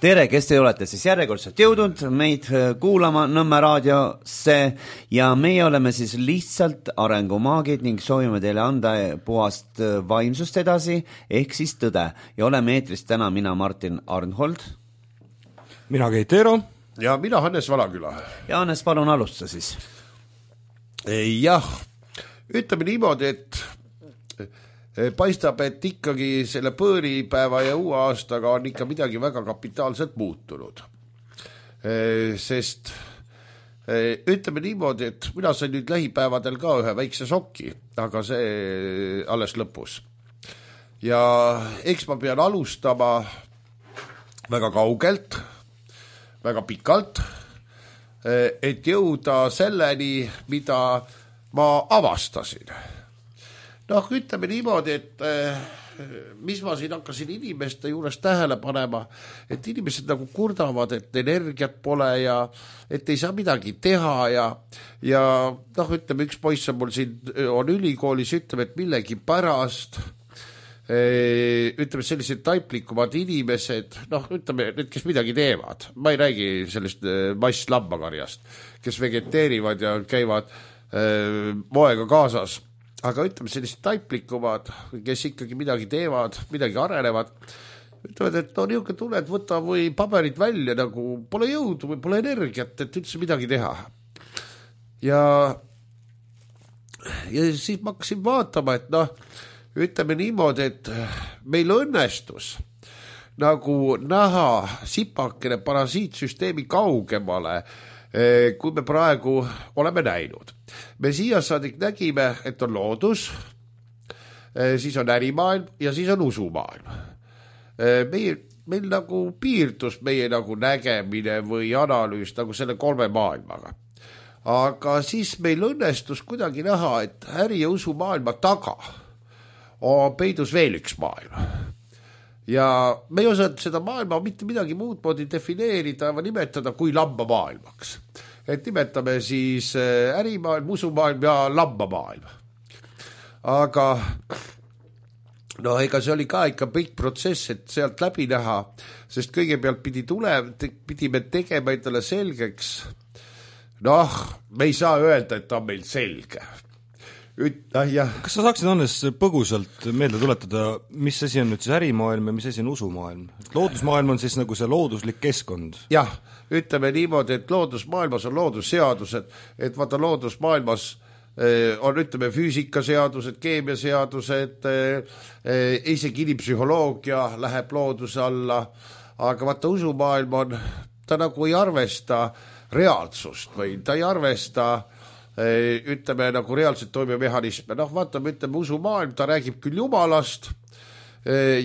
Tere, kes te olete siis järjekordselt jõudnud meid kuulama Nõmme raadiosse ja meie oleme siis lihtsalt arengumaagid ning soovime teile anda puhast vaimsust edasi, ehk siis tõde. Ja oleme eetris täna mina Martin Arnhold. Mina Keit Eero. Ja mina Hannes Valaküla. Ja Hannes, palun alusta siis. Jah, ütleme niimoodi, et paistab, et ikkagi selle põõripäeva ja uue aastaga on ikka midagi väga kapitaalselt muutunud. Sest ütleme niimoodi, et mina sain nüüd lähipäevadel ka ühe väikse šoki, aga see alles lõpus. Ja eks ma pean alustama väga kaugelt, väga pikalt, et jõuda selleni, mida ma avastasin. Noh, ütleme niimoodi, et mis ma siin hakkasin inimeste juures tähele panema, et inimesed nagu kurdavad, et energiat pole ja et ei saa midagi teha ja noh, ütleme, üks poiss on mul siin on ülikoolis, ütleme, et millegi pärast ütleme, sellised taiplikumad inimesed, noh, ütleme, need, kes midagi teevad, ma ei räägi sellest masslambakarjast, kes vegeteerivad ja käivad moega kaasas, aga ütleme, sellised taiplikumad, kes ikkagi midagi teevad, midagi arenevad, ütlevad, et no niisugune tunne, et võta või paberid välja, nagu pole jõudu või pole energiat, et üldse midagi teha. Ja siis ma hakkasin vaatama, et noh, ütleme niimoodi, et meil õnnestus nagu näha sipakene parasiitsüsteemi kaugemale, kui me praegu oleme näinud. Me siia saadik nägime, et on loodus, siis on ärimaailm ja siis on usumaailm. Meil nagu piirdus meie nagu nägemine või analüüs nagu selle 3 maailmaga. Aga siis meil õnnestus kuidagi näha, et äri- ja usumaailma taga on peidus veel üks maailm. Ja me ei osanud seda maailma mitte midagi muud moodi defineerida või nimetada kui lambamaailmaks. Et nimetame siis ärimaailm, usumaailm ja lambamaailm. Aga no ega see oli ka ikka pikk protsess, et sealt läbi näha, sest kõigepealt pidime tegema endale selgeks, noh, me ei saa öelda, et ta on meil selge. Kas sa saaksid, Hannes, põgusalt meelde tuletada, mis asi on nüüd siis ärimaailm ja mis asi on usumaailm? Loodusmaailm on siis nagu see looduslik keskkond. Jah, ütleme niimoodi, et loodusmaailmas on loodusseadused, et vaata loodusmaailmas on, ütleme, füüsikaseadused, keemiaseadused, isegi inimpsühholoogia läheb looduse alla, aga vaata usumaailm on, ta nagu ei arvesta reaalsust või ta ei arvesta ütleme nagu reaalselt toimiva mehhanisme. Noh, vaatame, ütleme, usumaailm, ta räägib küll Jumalast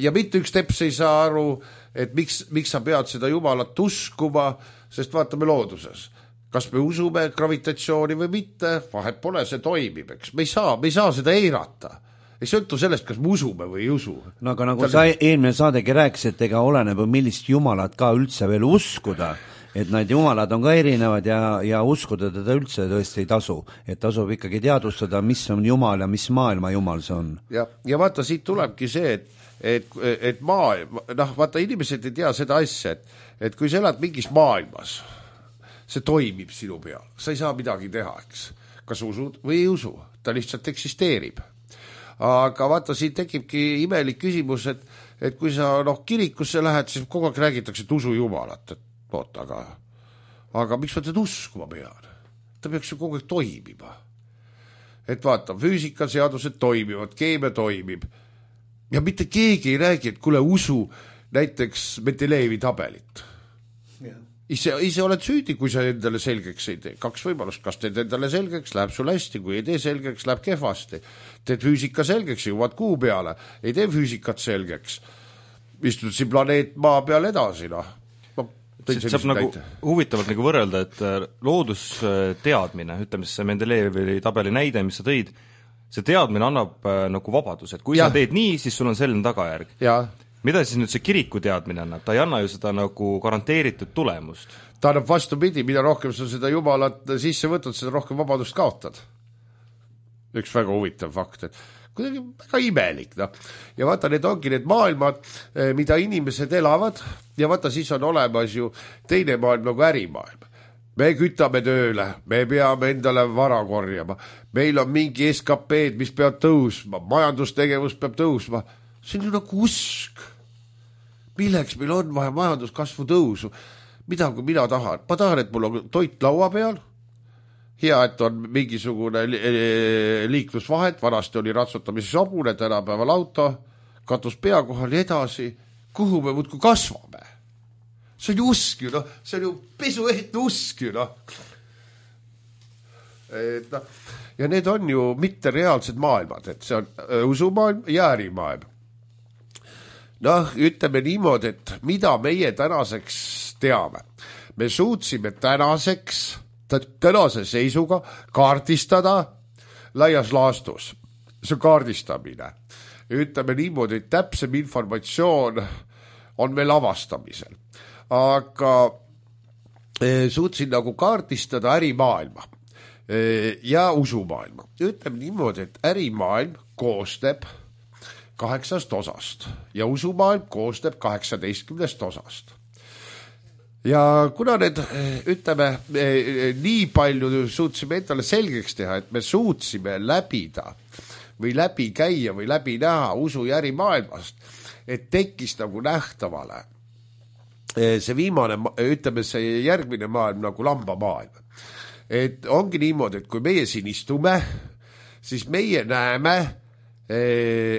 ja mitte üks teps ei saa aru, et miks sa pead seda Jumalat uskuma, sest vaatame looduses. Kas me usume gravitatsiooni või mitte, vahet pole, see toimib, eks. Me ei saa seda eirata. Ei sõltu sellest, kas me usume või ei usu. No aga nagu sa eelmine saadegi rääkis, et ega oleneb millist Jumalat ka üldse veel uskuda, et need jumalad on ka erinevad ja uskuda teda üldse tõesti ei tasu. Et tasub ikkagi teadvustada, mis on Jumal ja mis maailma Jumal see on. Ja vaata, siit tulebki see, et maailm, noh, vaata, inimesed ei tea seda asja, et kui sa elad mingis maailmas, see toimib sinu peal, sa ei saa midagi teha, eks. Kas usud või ei usu, ta lihtsalt eksisteerib. Aga vaata, siin tekibki imelik küsimus, et kui sa kirikusse lähed, siis kogu aeg räägitakse, et usu Jumalat, et oot, aga miks ma teda uskuma pean? Ta peaks ju kogu aeg toimima. Et vaata, füüsikaseadused toimivad, keemia toimib ja mitte keegi ei räägi, et kuule, usu näiteks Mendelejevi tabelit. Ise oled süüdi, kui sa endale selgeks ei tee. 2 võimalust, kas teed endale selgeks, läheb sul hästi, kui ei tee selgeks, läheb kehvasti. Teed füüsika selgeks, jõuad kuu peale, ei tee füüsikat selgeks. Istud siin planeet maa peal edasi, noh. Saab nagu huvitavalt nagu võrrelda, et loodusteadmine, ütleme siis see Mendelejevi tabeli näide, mis sa tõid, see teadmine annab nagu vabadus, et kui sa teed nii, siis sul on selline tagajärg. Mida siis nüüd see kiriku teadmine annab? Ta ei anna ju seda nagu garanteeritud tulemust. Ta annab vastupidi, mida rohkem sa seda Jumalat sisse võtad, seda rohkem vabadust kaotad. Üks väga huvitav fakt, et kuidagi väga imelik, noh. Ja vaata, need ongi need maailmad, mida inimesed elavad ja vaata, siis on olemas ju teine maailm nagu ärimaailm. Me kütame tööle, me peame endale vara korjama, meil on mingi SKP-d, mis peab tõusma, majandustegevus peab tõusma. See on ju nagu usk. Milleks meil on vaja majanduskasvu tõusu? Mida kui mina tahan? Ma tahan, et mul on toit laua peal, hea, et on mingisugune liiklusvahet, vanasti oli ratsutamises hobune, tänapäeval auto, katus pea kohal ja edasi, kuhu me muudkui kasvame. See on ju usk ju, noh, see on ju pesuehtne usk ju, noh. Ja need on ju mitte reaalsed maailmad, et see on usumaailm ja ärimaailm. Noh, ütleme niimoodi, et mida meie tänaseks teame. Me suutsime tänase seisuga kaardistada laias laastus. See on kaardistamine. Ütleme niimoodi, et täpsem informatsioon on meil avastamisel. Aga suutsin nagu kaardistada ärimaailma ja usumaailma. Ütleme niimoodi, et ärimaailm koosneb 8 osast ja usumaailm koosneb 18 osast. Ja kuna need, ütleme, nii palju suutsime endale selgeks teha, et me suutsime läbida või läbi käia või läbi näha usu ja ärimaailmast, et tekkis nagu nähtavale see viimane, ütleme see järgmine maailm nagu lambamaailm. Et ongi niimoodi, et kui meie siin istume, siis meie näeme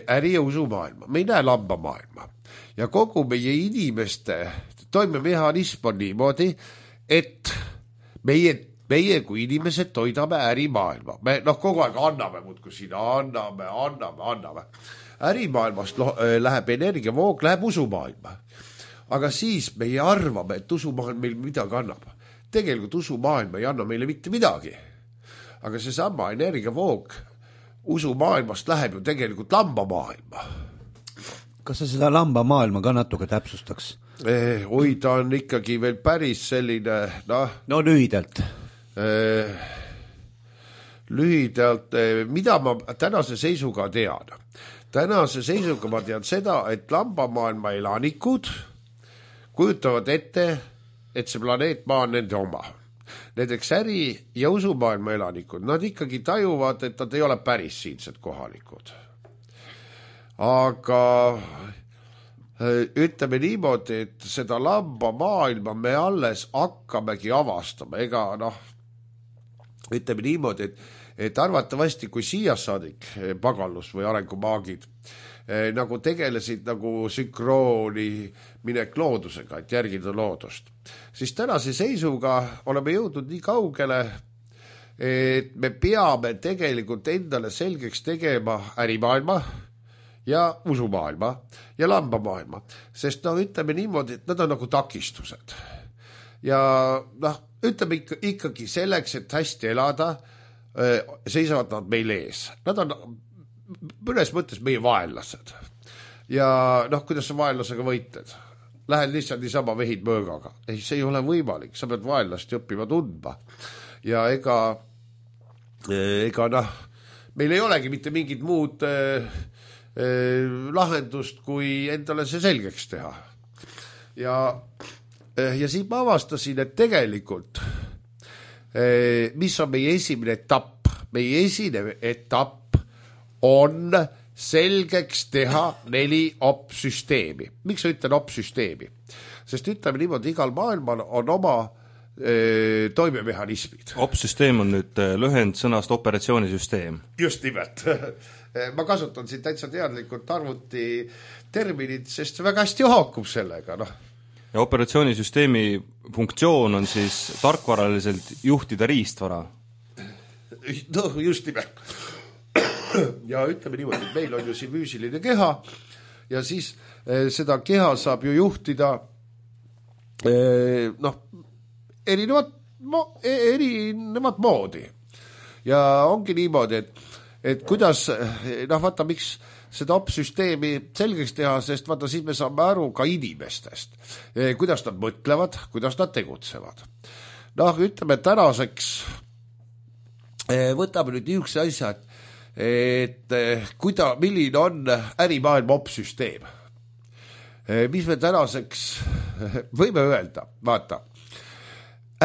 äri- ja usumaailma. Me ei näe lambamaailma. Ja kogu meie inimeste toimemehhanism on niimoodi, et meie kui inimesed toidame ärimaailma. Me kogu aeg anname, muudkui siin anname. Ärimaailmast läheb energiavoog, läheb usumaailma. Aga siis meie arvame, et usumaailm meil midagi annab. Tegelikult usumaailm ei anna meile mitte midagi. Aga see sama energiavoog usumaailmast läheb ju tegelikult lambamaailma. Kas sa seda lambamaailma ka natuke täpsustaks? Oi, ta on ikkagi veel päris selline, No lühidalt. Lühidalt, mida ma tänase seisuga tean? Tänase seisuga ma tean seda, et lambamaailma elanikud kujutavad ette, et see planeet Maa on nende oma. Näiteks äri- ja usumaailma elanikud, nad ikkagi tajuvad, et nad ei ole päris siinsed kohalikud. Aga ütleme niimoodi, et seda lambamaailma me alles hakkamegi avastama. Ega ütleme niimoodi, et arvatavasti kui siia saadik pagallus või arengumaagid nagu tegelesid nagu sünkrooni minek loodusega, et järgida loodust, siis tänase seisuga oleme jõudnud nii kaugele, et me peame tegelikult endale selgeks tegema ärimaailma ja usumaailma ja lambamaailma, sest ütleme niimoodi, et nad on nagu takistused. Ja ütleme ikkagi selleks, et hästi elada, seisavad nad meil ees. Nad on mõnes mõttes meie vaenlased. Ja kuidas sa vaenlasega võitled? Lähed lihtsalt niisama vehid mõõgaga. Ei, see ei ole võimalik. Sa pead vaenlast õppima tundma. Ja ega meil ei olegi mitte mingit muud lahendust, kui endale see selgeks teha. Ja siin ma avastasin, et tegelikult mis on meie esimene etapp? Meie esimene etapp on selgeks teha 4 op-süsteemi. Miks sa ütlen op-süsteemi? Sest ütleme niimoodi, igal maailmal on oma toimemehhanismid. Op-süsteem on nüüd lühend sõnast operatsioonisüsteem. Just nimelt. Ma kasutan siin täitsa teadlikult arvuti terminit, sest väga hästi haakub sellega. Ja operatsioonisüsteemi funktsioon on siis tarkvaraliselt juhtida riistvara. Just nimelt. Ja ütleme niimoodi, et meil on ju siin füüsiline keha ja siis seda keha saab ju juhtida erinevat moodi. Ja ongi niimoodi, et kuidas, vaata, miks seda op-süsteemi selgeks teha, sest vaata, siis me saame aru ka inimestest, kuidas nad mõtlevad, kuidas nad tegutsevad. Ütleme tänaseks, võtame nüüd niisuguse asja, et milline on ärimaailma opsüsteem. Mis me tänaseks võime öelda, vaata,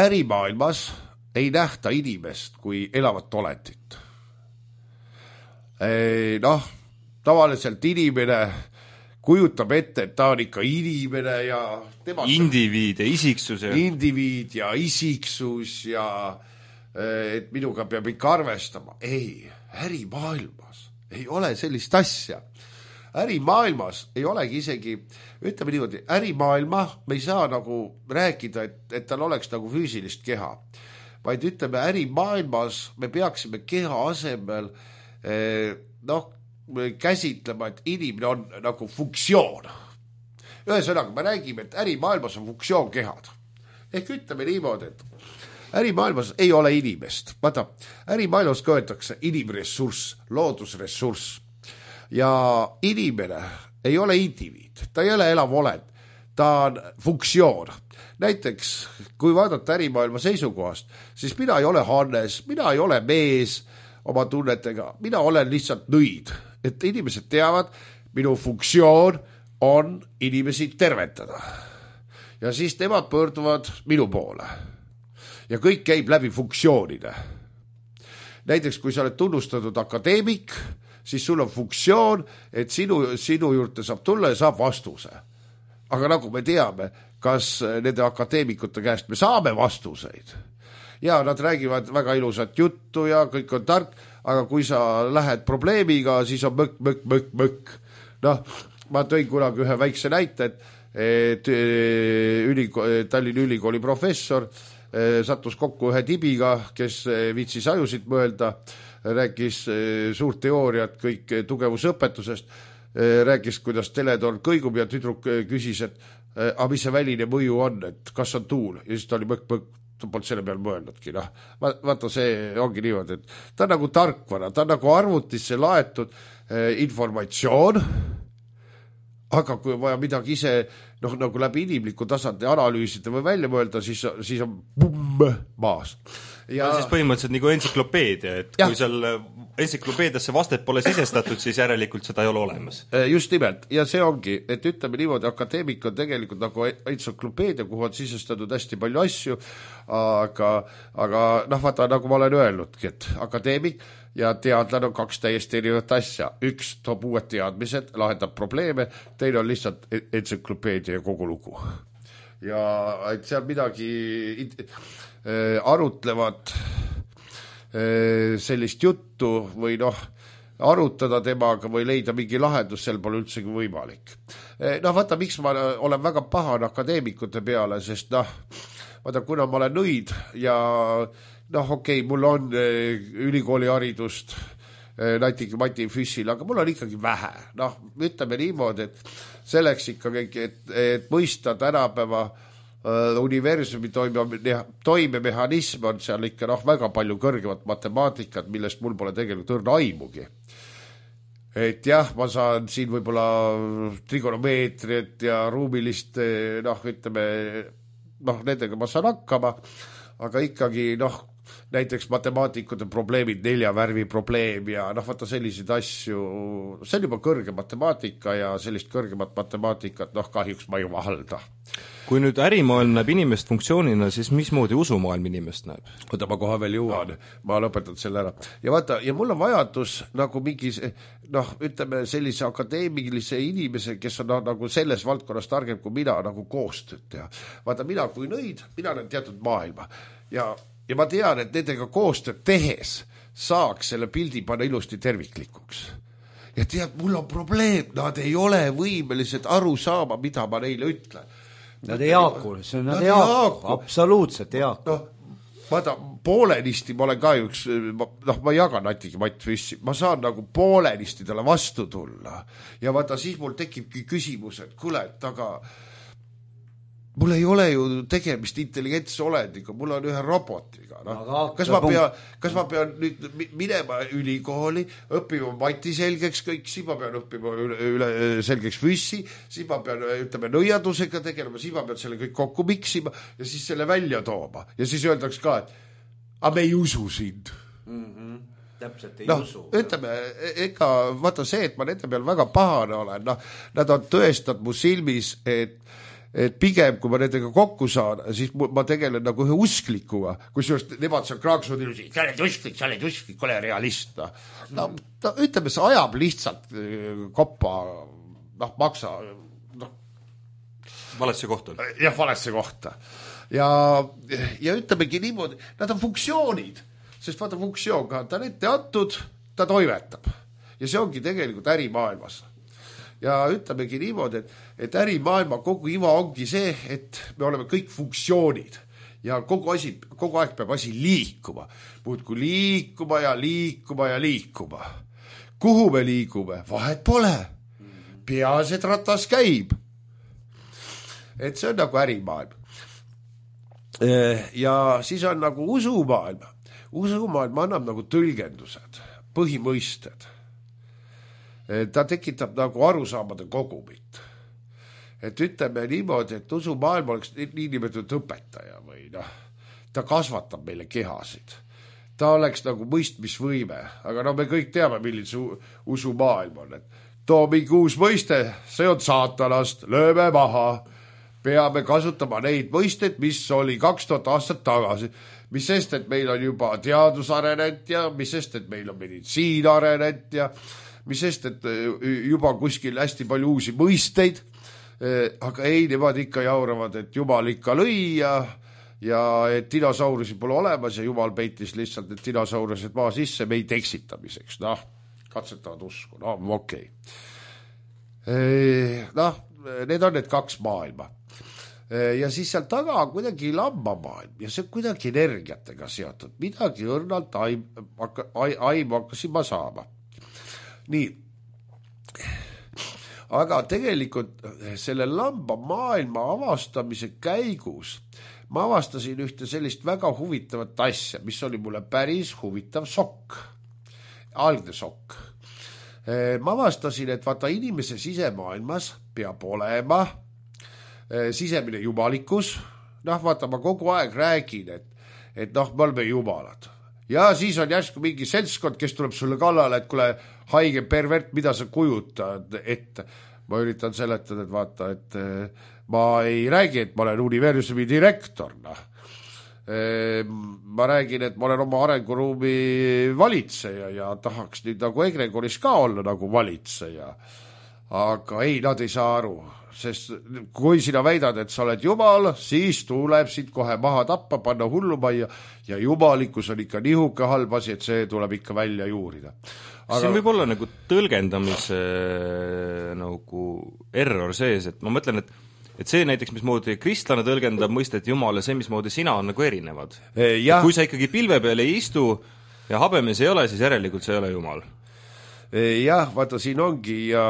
ärimaailmas ei nähta inimest kui elavat olendit. Tavaliselt inimene kujutab ette, et ta on ikka inimene ja tema indiviid ja isiksus. Indiviid ja isiksus ja et minuga peab ikka arvestama. Ei, ärimaailmas ei ole sellist asja. Ärimaailmas ei olegi isegi, ütleme niimoodi, ärimaailma me ei saa nagu rääkida, et tal oleks nagu füüsilist keha. Vaid ütleme, ärimaailmas me peaksime keha asemel käsitlema, et inimene on nagu funktsioon. Ühesõnaga, me räägime, et ärimaailmas on funktsioonkehad. Ehk ütleme niimoodi, et ärimaailmas ei ole inimest. Vaata, ärimaailmas köetakse inimressurss, loodusressurss. Ja inimene ei ole indiviid, ta ei ole elav olend, ta on funktsioon. Näiteks, kui vaadata ärimaailma seisukohast, siis mina ei ole Hannes, mina ei ole mees oma tunnetega, mina olen lihtsalt nõid. Et inimesed teavad, minu funktsioon on inimesi tervetada. Ja siis nemad pöörduvad minu poole. Ja kõik käib läbi funktsioonide. Näiteks, kui sa oled tunnustatud akadeemik, siis sul on funktsioon, et sinu juurde saab tulla ja saab vastuse. Aga nagu me teame, kas nende akadeemikute käest me saame vastuseid. Ja nad räägivad väga ilusat juttu ja kõik on tark, aga kui sa lähed probleemiga, siis on mõkk. Ma tõin kunagi ühe väikse näite, et Tallinna Ülikooli professor sattus kokku ühe tibiga, kes viitsis ajusid mõelda, rääkis suurt teooriat kõik tugevusõpetusest, rääkis, kuidas teletorn kõigub ja tüdruk küsis, et mis see väline mõju on, et kas on tuul, ja siis ta oli mõkk, ta polnud selle peal mõelnudki. Vaata, see ongi niimoodi, et ta on nagu tarkvara, ta on nagu arvutisse laetud informatsioon, aga kui vaja midagi ise nagu läbi inimliku tasandi analüüsida või välja mõelda, siis on maas. Ja siis põhimõtteliselt nagu entsüklopeedia, et kui seal entsüklopeediasse vastet pole sisestatud, siis järelikult seda ei ole olemas. Just nimelt, ja see ongi, et ütleme niimoodi, akadeemik on tegelikult nagu entsüklopeedia, kuhu on sisestatud hästi palju asju, aga vaata, nagu ma olen öelnudki, et akadeemik ja teadlane on kaks täiesti erinevat asja. Üks toob uued teadmised, lahendab probleeme, teine on lihtsalt entsüklopeedia ja kogu lugu. Ja et seal midagi arutlevad sellist juttu või arutada temaga või leida mingi lahendus, seal pole üldsegi võimalik. Vaata, miks ma olen väga pahan akadeemikute peale, sest vaata, kuna ma olen nõid ja mul on ülikooli haridust Mati Füssil, aga mul on ikkagi vähe. Ütleme niimoodi, et selleks ikkagi, et mõista tänapäeva universumi toimemehhanism on seal ikka väga palju kõrgemat matemaatikat, millest mul pole tegelikult õrna aimugi. Et jah, ma saan siin võib-olla trigonomeetriat ja ruumilist, ütleme, nendega ma saan hakkama, aga ikkagi, näiteks matemaatikute probleemid, 4 värvi probleem ja vaata selliseid asju, see on juba kõrge matemaatika ja sellist kõrgemat matemaatikat, kahjuks ma ei vahalda. Kui nüüd ärimaailm näeb inimest funktsioonina, siis mismoodi usumaailm inimest näeb? Oota, ma kohe veel jõuan, ma lõpetan selle ära. Ja vaata, ja mul on vajadus nagu mingi, ütleme sellise akadeemilise inimese, kes on nagu selles valdkonnas targem kui mina, nagu koostööd teha. Vaata, mina kui nõid, mina olen teatud maailma ja ma tean, et nendega koostööd tehes saaks selle pildi panna ilusti terviklikuks. Ja tead, mul on probleem, nad ei ole võimelised aru saama, mida ma neile ütlen. Nad ei haaku, nad ei haaku, absoluutselt ei haaku. Vaata, poolenisti ma olen ka üks, ma jagan Natigi Matt Füssi, ma saan nagu poolenisti talle vastu tulla. Ja vaata, siis mul tekibki küsimus, et kuule, et aga mul ei ole ju tegemist intelligentse olendiga, mul on ühe robotiga. Kas ma pean nüüd minema ülikooli, õppima Mati selgeks kõik, siis ma pean õppima üle selgeks Füssi, siis ma pean, ütleme, nõiadusega tegelema, siis ma pean selle kõik kokku miksima ja siis selle välja tooma. Ja siis öeldaks ka, et aga me ei usu sind. täpselt ei usu. Ütleme, ega vaata see, et ma nende peal väga pahane olen, nad on tõestanud mu silmis, et pigem, kui ma nendega kokku saan, siis ma tegelen nagu ühe usklikuga, kusjuures nemad seal kraaksuvad ilusi, sa oled usklik, ole realist. Ütleme, see ajab lihtsalt koppa, maksa. Valesse kohta. Jah, valesse kohta. Ja ütlemegi niimoodi, nad on funktsioonid, sest vaata funktsioon ka, ta on ette antud, ta toimetab. Ja see ongi tegelikult ärimaailmas. Ja ütlemegi niimoodi, et ärimaailma kogu iva ongi see, et me oleme kõik funktsioonid ja kogu aeg peab asi liikuma. Muudku liikuma ja liikuma ja liikuma. Kuhu me liigume? Vahet pole. Peas, et ratas käib. Et see on nagu ärimaailm. Ja siis on nagu usumaailm. Usumaailm annab nagu tõlgendused, põhimõisted. Ta tekitab nagu arusaamade kogumit. Et ütleme niimoodi, et usumaailm oleks niinimetatud õpetaja või ta kasvatab meile kehasid. Ta oleks nagu mõistmisvõime, aga me kõik teame, milline see usumaailm on. Et too mingi uus mõiste, see on saatanast, lööme maha, peame kasutama neid mõisteid, mis oli 2000 aastat tagasi. Mis sest, et meil on juba teadus arenenud ja mis sest, et meil on meditsiin arenenud ja mis sest, et juba kuskil hästi palju uusi mõisteid, aga ei, nemad ikka jauravad, et Jumal ikka lõi ja et dinosaurusi pole olemas ja Jumal peitis lihtsalt, et dinosaurused maa sisse meid eksitamiseks. Katsetavad usku, okei. Need on need kaks maailma. Ja siis seal taga on kuidagi lambamaailm ja see on kuidagi energiatega seotud. Midagi õrnalt aimu hakkasin ma saama. Nii, aga tegelikult selle lamba maailma avastamise käigus ma avastasin ühte sellist väga huvitavat asja, mis oli mulle päris huvitav šokk, algne šokk. Ma avastasin, et vaata inimese sisemaailmas peab olema sisemine jumalikkus. Vaata, ma kogu aeg räägin, et me oleme jumalad. Ja siis on järsku mingi seltskond, kes tuleb sulle kallale, et kuule, haige pervert, mida sa kujutad ette. Ma üritan seletada, et vaata, et ma ei räägi, et ma olen universumi direktor. Ma räägin, et ma olen oma arenguruumi valitseja ja tahaks nüüd nagu Egregoris ka olla nagu valitseja. Aga ei, nad ei saa aru, sest kui sina väidad, et sa oled jumal, siis tuleb siit kohe maha tappa, panna hullumajja ja jumalikkus on ikka nihuke halb asi, et see tuleb ikka välja juurida. Aga siin võib olla nagu tõlgendamise nagu error sees, et ma mõtlen, et see näiteks, mismoodi kristlane tõlgendab mõistet Jumal ja see, mismoodi sina on nagu erinevad. Kui sa ikkagi pilve peal ei istu ja habemes ei ole, siis järelikult see ei ole Jumal. Jah, vaata, siin ongi ja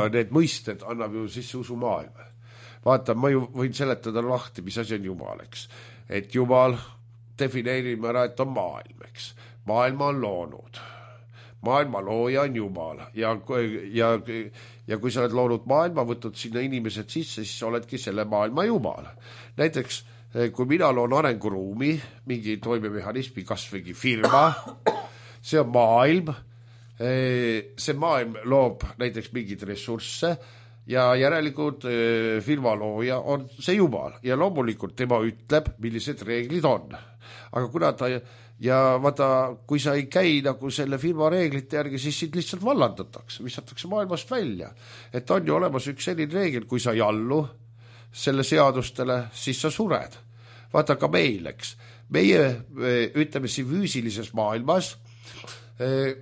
need mõisted annab ju sisse usumaailma. Vaata, ma ju võin seletada lahti, mis asi on Jumal, eks. Et Jumal defineerime ära, et on maailm, eks. Maailma on loonud. Maailma looja on Jumal ja kui sa oled loonud maailma, võtnud sinna inimesed sisse, siis oledki selle maailma Jumal. Näiteks, kui mina loon arenguruumi, mingi toimemehhanismi, kas mingi firma, see on maailm, see maailm loob näiteks mingid ressursse ja järelikult firma looja on see Jumal ja loomulikult tema ütleb, millised reeglid on. Aga kuna ta ja vaata, kui sa ei käi nagu selle firma reeglite järgi, siis sind lihtsalt vallandatakse, visatakse maailmast välja. Et on ju olemas üks selline reegel, kui sa ei allu selle seadustele, siis sa sured. Vaata ka meil, eks. Meie, ütleme siin füüsilises maailmas,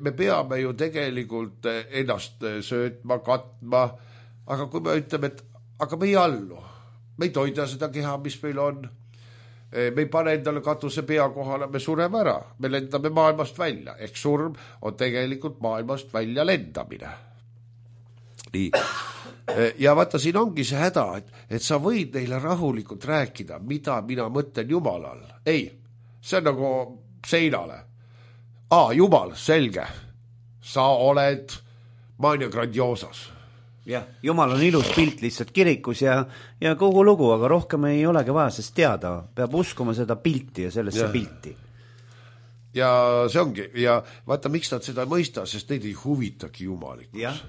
me peame ju tegelikult ennast söötma, katma, aga kui me ütleme, et aga me ei allu, me ei toida seda keha, mis meil on, me ei pane endale katuse pea kohale, me sureme ära, me lendame maailmast välja, ehk surm on tegelikult maailmast välja lendamine. Nii. Ja vaata, siin ongi see häda, et sa võid neile rahulikult rääkida, mida mina mõtlen Jumalal. Ei, see on nagu seinale. Jumal, selge. Sa oled Mania Grandiosas. Jah, Jumal on ilus pilt lihtsalt kirikus ja kogu lugu, aga rohkem ei olegi vaja sest teada. Peab uskuma seda pilti ja sellesse pilti. ja see ongi, ja vaata, miks nad seda ei mõista, sest neid ei huvitagi jumalikkus.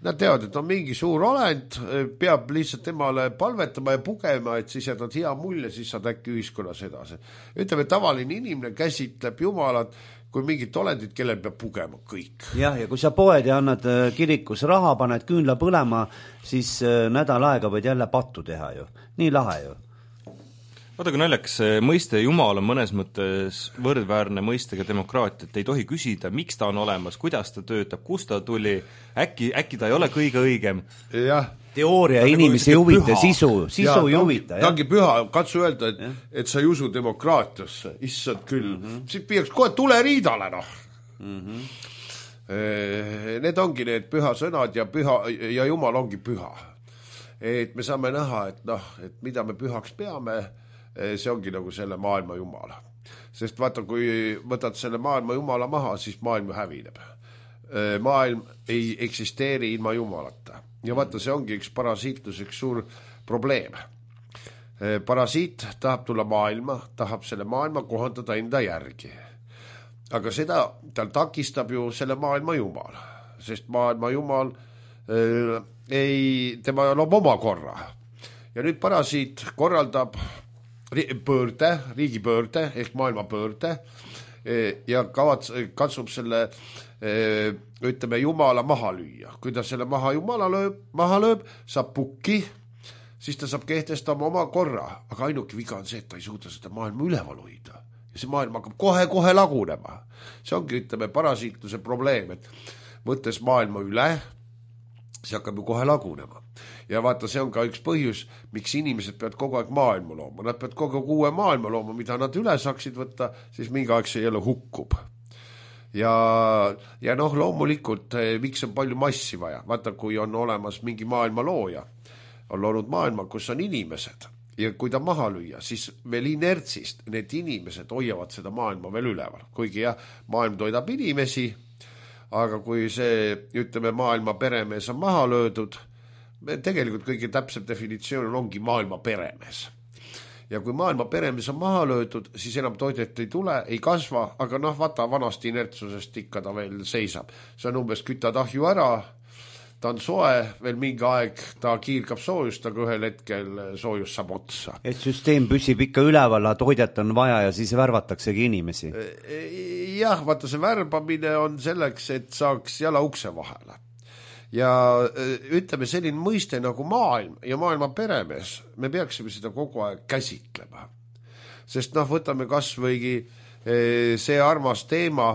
Nad teavad, et on mingi suur olend, peab lihtsalt temale palvetama ja pugema, et siis jätad hea mulje, siis saad äkki ühiskonnas edasi. Ütleme, tavaline inimene käsitleb jumalat kui mingit olendit, kellel peab pugema kõik. Jah, ja kui sa poed ja annad kirikus raha, paned küünla põlema, siis nädal aega võid jälle pattu teha ju. Nii lahe ju. Vaata, kui naljakas mõiste Jumal on mõnes mõttes võrdväärne mõistega demokraatia, et ei tohi küsida, miks ta on olemas, kuidas ta töötab, kust ta tuli, äkki ta ei ole kõige õigem. Jah. Teooria inimesi ei huvita, sisu ei huvita. Ta ongi püha, katsu öelda, et sa ei usu demokraatiasse, issand küll. Siis peaks kohe tuleriidale, noh. Need ongi need püha sõnad ja Jumal ongi püha. Et me saame näha, et mida me pühaks peame, see ongi nagu selle maailma jumala. Sest vaata, kui võtad selle maailma jumala maha, siis maailm hävineb. Maailm ei eksisteeri ilma jumalata. Ja vaata, see ongi üks parasiitlus, üks suur probleem. Parasiit tahab tulla maailma, tahab selle maailma kohandada enda järgi. Aga seda tal takistab ju selle maailma jumal. Sest maailma jumal tema loob oma korra. Ja nüüd parasiit korraldab riigipöörde ehk maailmapöörde ja katsub selle, ütleme, jumala maha lüüa. Kui ta selle maha lööb, saab pukki, siis ta saab kehtestama oma korra. Aga ainuke viga on see, et ta ei suuda seda maailma üleval hoida. Ja see maailm hakkab kohe lagunema. See ongi, ütleme, parasiitluse probleem, et võttes maailma üle, see hakkab ju kohe lagunema. Ja vaata, see on ka üks põhjus, miks inimesed peavad kogu aeg maailma looma. Nad peavad kogu aeg uue maailma looma, mida nad üle saaksid võtta, siis mingi aeg see jälle hukkub. Ja loomulikult, miks on palju massi vaja? Vaata, kui on olemas mingi maailma looja, on loonud maailma, kus on inimesed. Ja kui ta maha lüüa, siis veel inertsist need inimesed hoiavad seda maailma veel üleval. Kuigi maailm toidab inimesi, aga kui see, ütleme, maailma peremees on maha löödud, tegelikult kõige täpsem definitsioon ongi maailma peremees. Ja kui maailma peremees on maha löödud, siis enam toidet ei tule, ei kasva, aga vaata, vanasti inertsusest ikka ta veel seisab. See on umbes kütad ahju ära, ta on soe, veel mingi aeg ta kiirgab soojust, aga ühel hetkel soojus saab otsa. Et süsteem püsib ikka üleval, toidet on vaja ja siis värvataksegi inimesi. Jah, vaata, see värbamine on selleks, et saaks jala ukse vahele. Ja ütleme, selline mõiste nagu maailm ja maailma peremees, me peaksime seda kogu aeg käsitlema. Sest võtame kas võigi see armas teema,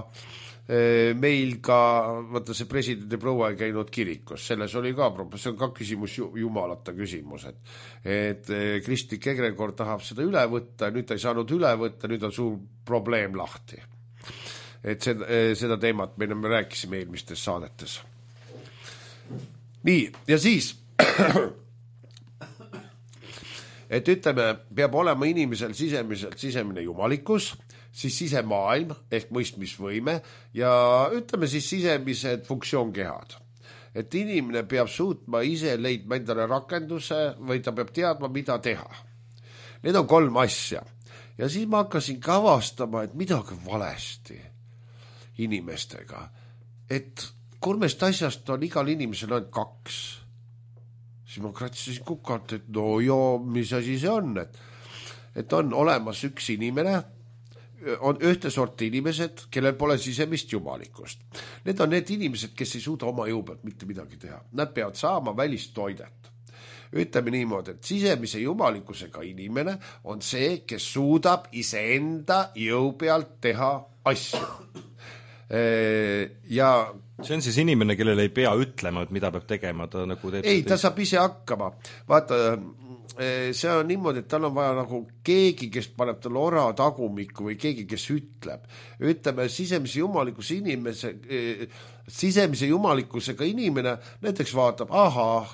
meil ka, vaata, see presidendi proua ei käinud kirikus, selles oli ka probleem, see on ka küsimus, jumalata küsimus, et kristlik egregor tahab seda üle võtta, nüüd ta ei saanud üle võtta, nüüd on suur probleem lahti. Et seda teemat me rääkisime eelmistes saadetes. Nii, ja siis et ütleme, peab olema inimesel sisemine jumalikkus, siis sisemaailm ehk mõistmisvõime ja ütleme siis sisemised funktsioonkehad. Et inimene peab suutma ise leidma endale rakenduse või ta peab teadma, mida teha. Need on 3 asja. Ja siis ma hakkasin ka avastama, et midagi valesti inimestega. Et 3 asjast on igal inimesel ainult 2. Siis ma kratsisin kukalt, et mis asi see on, et on olemas üks inimene, on ühte sorti inimesed, kellel pole sisemist jumalikust. Need on need inimesed, kes ei suuda oma jõu pealt mitte midagi teha. Nad peavad saama välist toidet. Ütleme niimoodi, et sisemise jumalikkusega inimene on see, kes suudab iseenda jõu pealt teha asju. Ja see on siis inimene, kellele ei pea ütlema, et mida peab tegema, ta nagu teeb. Ei, ta saab ise hakkama. Vaata, see on niimoodi, et tal on vaja nagu keegi, kes paneb talle ora tagumikku või keegi, kes ütleb. Ütleme, sisemise jumalikkusega inimene näiteks vaatab,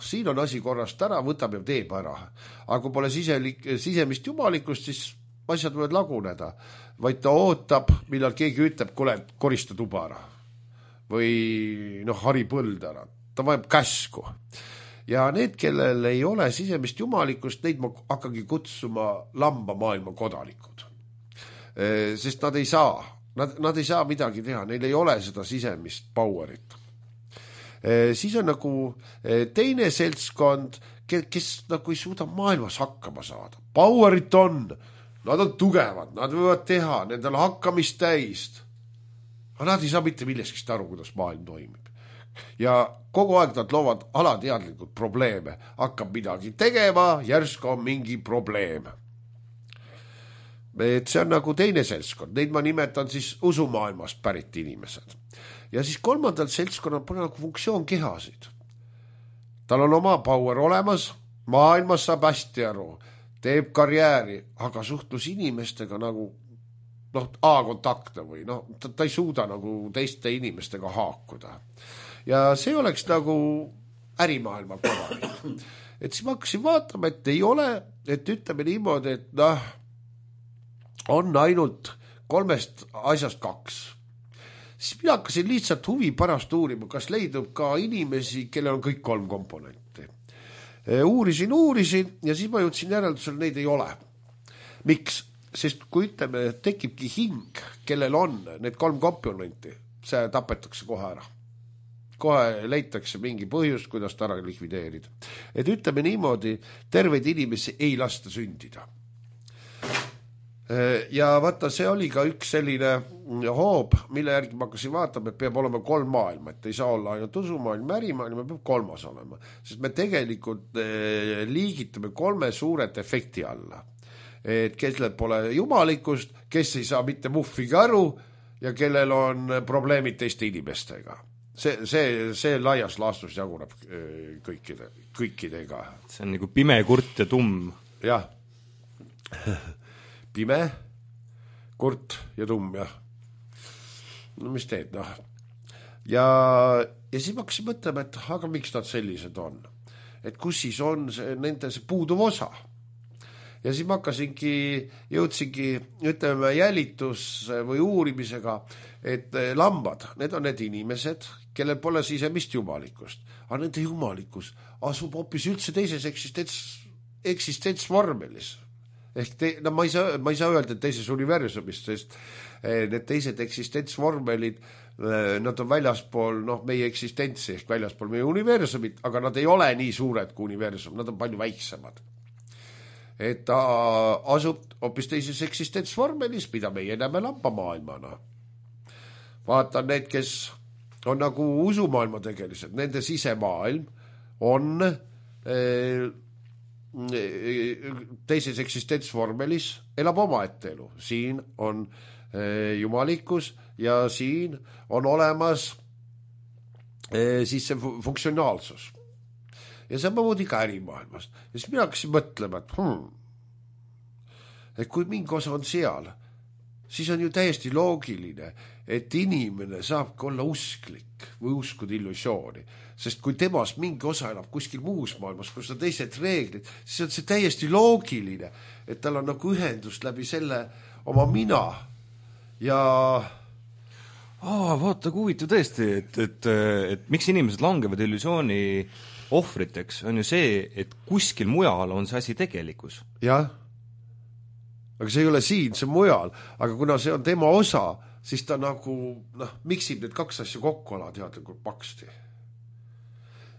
siin on asi korrast ära, võtab ja teeb ära. Aga kui pole sisemist jumalikkust, siis asjad võivad laguneda. Vaid ta ootab, millal keegi ütleb, kuule, korista tuba ära. Või hari põld ära. Ta vajab käsku. Ja need, kellel ei ole sisemist jumalikust, neid ma hakkagi kutsuma lamba maailma kodanikud. Sest nad ei saa Nad ei saa midagi teha, neil ei ole seda sisemist powerit. Siis on nagu teine seltskond, kes nagu ei suuda maailmas hakkama saada. Powerit on, nad on tugevad, nad võivad teha, nendel hakkamist täist. Aga nad ei saa mitte millestki aru, kuidas maailm toimib. Ja kogu aeg nad loovad alateadlikult probleeme. Hakkab midagi tegema, järsku on mingi probleem. Et see on nagu teine seltskond. Neid ma nimetan siis usumaailmast pärit inimesed. Ja siis kolmandal seltskonnal pole nagu funktsioon kehasid. Tal on oma power olemas, maailmas saab hästi aru, teeb karjääri, aga suhtlus inimestega nagu A-kontakte või ta ei suuda nagu teiste inimestega haakuda. Ja see oleks nagu ärimaailma kodanik. Et siis ma hakkasin vaatama, et ei ole, et ütleme niimoodi, et on ainult 3 asjast 2. Siis mina hakkasin lihtsalt huvi pärast uurima, kas leidub ka inimesi, kellel on kõik 3 komponenti. Uurisin ja siis ma jõudsin järeldusele, neid ei ole. Miks? Sest kui ütleme, tekibki hing, kellel on need 3 komponenti, see tapetakse kohe ära. Kohe leitakse mingi põhjus, kuidas ta ära likvideerida. Et ütleme niimoodi, terveid inimesi ei lasta sündida. Ja vaata, see oli ka üks selline hoob, mille järgi ma hakkasin vaatama, et peab olema 3 maailma, et ei saa olla ainult usumaailm, ärimaailm, peab 3 olema. Sest me tegelikult liigitame 3 suuret efekti alla. Et kellel pole jumalikust, kes ei saa mitte muffigi aru ja kellel on probleemid teiste inimestega. See laias laastus jaguneb kõikidega. See on nagu pime, kurt ja tumm. Jah. Pime, kurt ja tumm, jah. No mis teed, Ja siis ma hakkasin mõtlema, et aga miks nad sellised on? Et kus siis on nende see puuduv osa? Ja siis ma jõudsingi, ütleme, jälitus või uurimisega, et lambad, need on need inimesed, kellel pole sisemist jumalikust. Aga nende jumalikkus asub hoopis üldse teises eksistentsvormelis. Ehk ma ei saa öelda, et teises universumist, sest need teised eksistentsvormelid, nad on väljaspool meie eksistentsi ehk väljaspool meie universumit, aga nad ei ole nii suured kui universum, nad on palju väiksemad. Et ta asub hoopis teises eksistentsvormelis, mida meie näeme lambamaailmana. Vaatan need, kes on nagu usumaailma tegelised, nende sisemaailm on teises eksistentsvormelis, elab omaette elu. Siin on jumalikkus ja siin on olemas siis see funktsionaalsus. Ja samamoodi ka ärimaailmast. Ja siis mina hakkasin mõtlema, et kui mingi osa on seal, siis on ju täiesti loogiline, et inimene saabki olla usklik või uskuda illusiooni. Sest kui temas mingi osa elab kuskil muus maailmas, kus on teised reeglid, siis on see täiesti loogiline, et tal on nagu ühendust läbi selle oma mina ja... vaata, kui huvitav tõesti, et miks inimesed langevad illusiooni ohvriteks, on ju see, et kuskil mujal on see asi tegelikkus. Jah, aga see ei ole siin, see on mujal, aga kuna see on tema osa, siis ta nagu, miksib need 2 asja kokku alateadlikult paksti.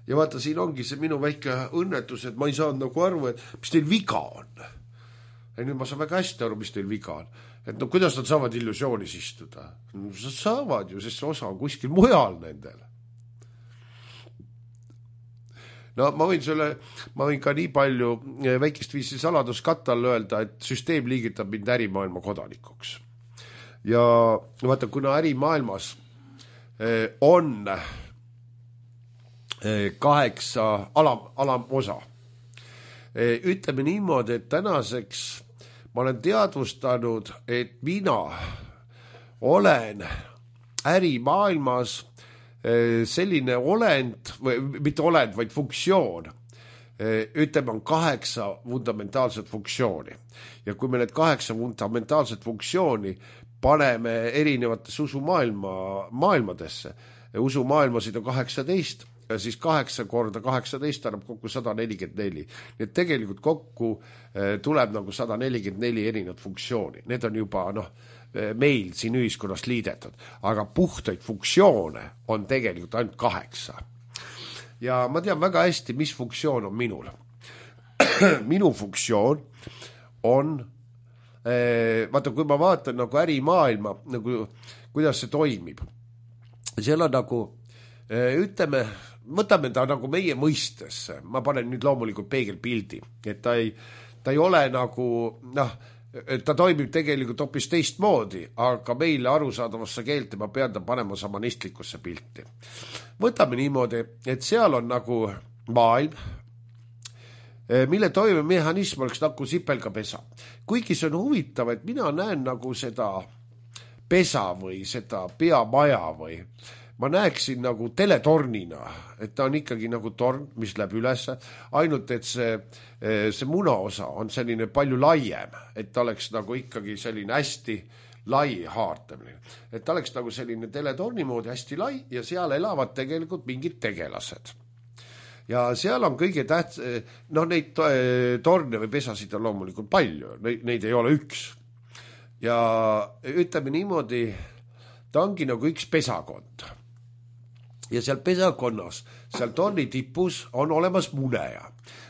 Ja vaata, siin ongi see minu väike õnnetus, et ma ei saanud nagu aru, et mis teil viga on. Ja nüüd ma saan väga hästi aru, mis teil viga on. Et kuidas nad saavad illusioonis istuda? Nad saavad ju, sest see osa on kuskil mujal nendel. Ma võin ka nii palju väikest viisi saladuskattal öelda, et süsteem liigitab mind ärimaailma kodanikuks. Ja vaata, kuna ärimaailmas on 8 alamosa. Ütleme niimoodi, et tänaseks ma olen teadvustanud, et mina olen ärimaailmas selline olend, või mitte olend, vaid funktsioon. Ütleme, on 8 fundamentaalset funktsiooni. Ja kui me need 8 fundamentaalset funktsiooni paneme erinevates usumaailmadesse, usumaailmasid on 18, siis 8 korda 18 annab kokku 144. Nii et tegelikult kokku tuleb nagu 144 erinevat funktsiooni. Need on juba meil siin ühiskonnas liidetud, aga puhtaid funktsioone on tegelikult ainult 8. Ja ma tean väga hästi, mis funktsioon on minul. Minu funktsioon on vaata, kui ma vaatan nagu ärimaailma, nagu, kuidas see toimib, seal on nagu, ütleme, võtame ta nagu meie mõistesse, ma panen nüüd loomulikult peegelpildi, et ta ei ole nagu, ta toimib tegelikult hoopis teistmoodi, aga meile arusaadavasse keelte ma pean ta panema samanistlikusse pilti. Võtame niimoodi, et seal on nagu maailm, mille toimemehhanism oleks nagu sipelgapesa. Kuigi see on huvitav, et mina näen nagu seda pesa või seda peamaja või ma näeksin nagu teletornina, et ta on ikkagi nagu torn, mis läheb üles, ainult et see munaosa on selline palju laiem, et ta oleks nagu ikkagi selline hästi lai haartamine. Et ta oleks nagu selline teletorni moodi hästi lai ja seal elavad tegelikult mingid tegelased. Ja seal on kõige neid torne või pesasid on loomulikult palju, neid ei ole üks. Ja ütleme niimoodi, ta ongi nagu üks pesakond. Ja seal pesakonnas, seal torni tipus on olemas muneja.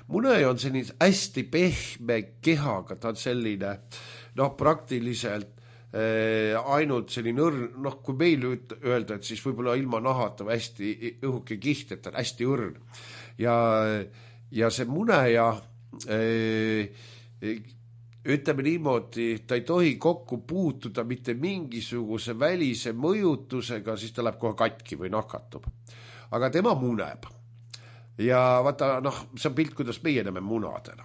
Muneja on selline hästi pehme kehaga, ta on selline, praktiliselt ainult selline õrn, kui meil öelda, et siis võib-olla ilma nahata või hästi õhuke kiht, et ta on hästi õrn. Ja see muneja, ütleme niimoodi, ta ei tohi kokku puutuda mitte mingisuguse välise mõjutusega, siis ta läheb kohe katki või nakatub. Aga tema muneb. Ja vaata, see on pilt, kuidas meie näeme munadena.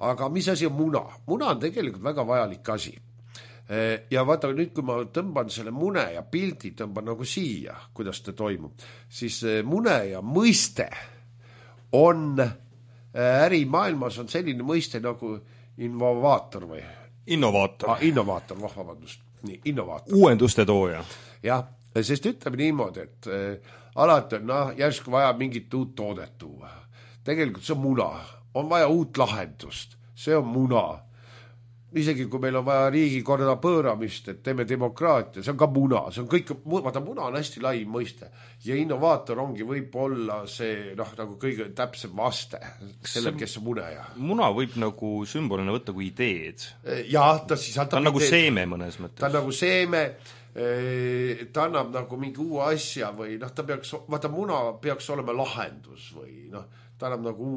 Aga mis asi on muna? Muna on tegelikult väga vajalik asi. Ja vaata, nüüd kui ma tõmban selle mune ja pildi, tõmban nagu siia, kuidas ta toimub, siis mune ja mõiste on ärimaailmas on selline mõiste nagu innovaator või? Innovaator. Innovaator, vabandust. Nii, innovaator. Uuenduste tooja. Jah, sest ütleme niimoodi, et alati on järsku vaja mingit uut toodet tuua. Tegelikult see on muna. On vaja uut lahendust. See on muna. Isegi kui meil on vaja riigikorda pööramist, et teeme demokraatia, see on ka muna. See on kõik, vaata, muna on hästi lai mõiste. Ja innovaator ongi võib-olla see nagu kõige täpsem vaste sellel, kes on muneja. Muna võib nagu sümbolina võtta kui ideed. Jah, ta on nagu seeme mõnes mõttes. Ta on nagu seeme, ta annab nagu mingi uue asja või ta peaks, vaata, muna peaks olema lahendus või ta annab nagu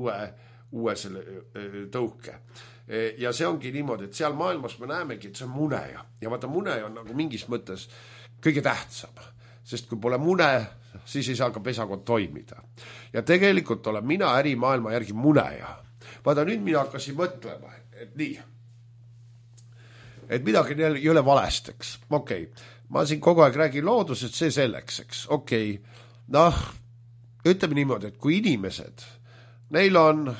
uue selle tõuke. Ja see ongi niimoodi, et seal maailmas me näemegi, et see on muneja. Ja vaata, muneja on nagu mingis mõttes kõige tähtsam. Sest kui pole mune, siis ei saa ka pesakond toimida. Ja tegelikult olen mina ärimaailma järgi muneja. Vaata, nüüd mina hakkasin mõtlema, et nii. Et midagi ei ole valesteks. Okei, ma siin kogu aeg räägin loodusest, see selleks, eks. Okei, ütleme niimoodi, et kui inimesed, neil on,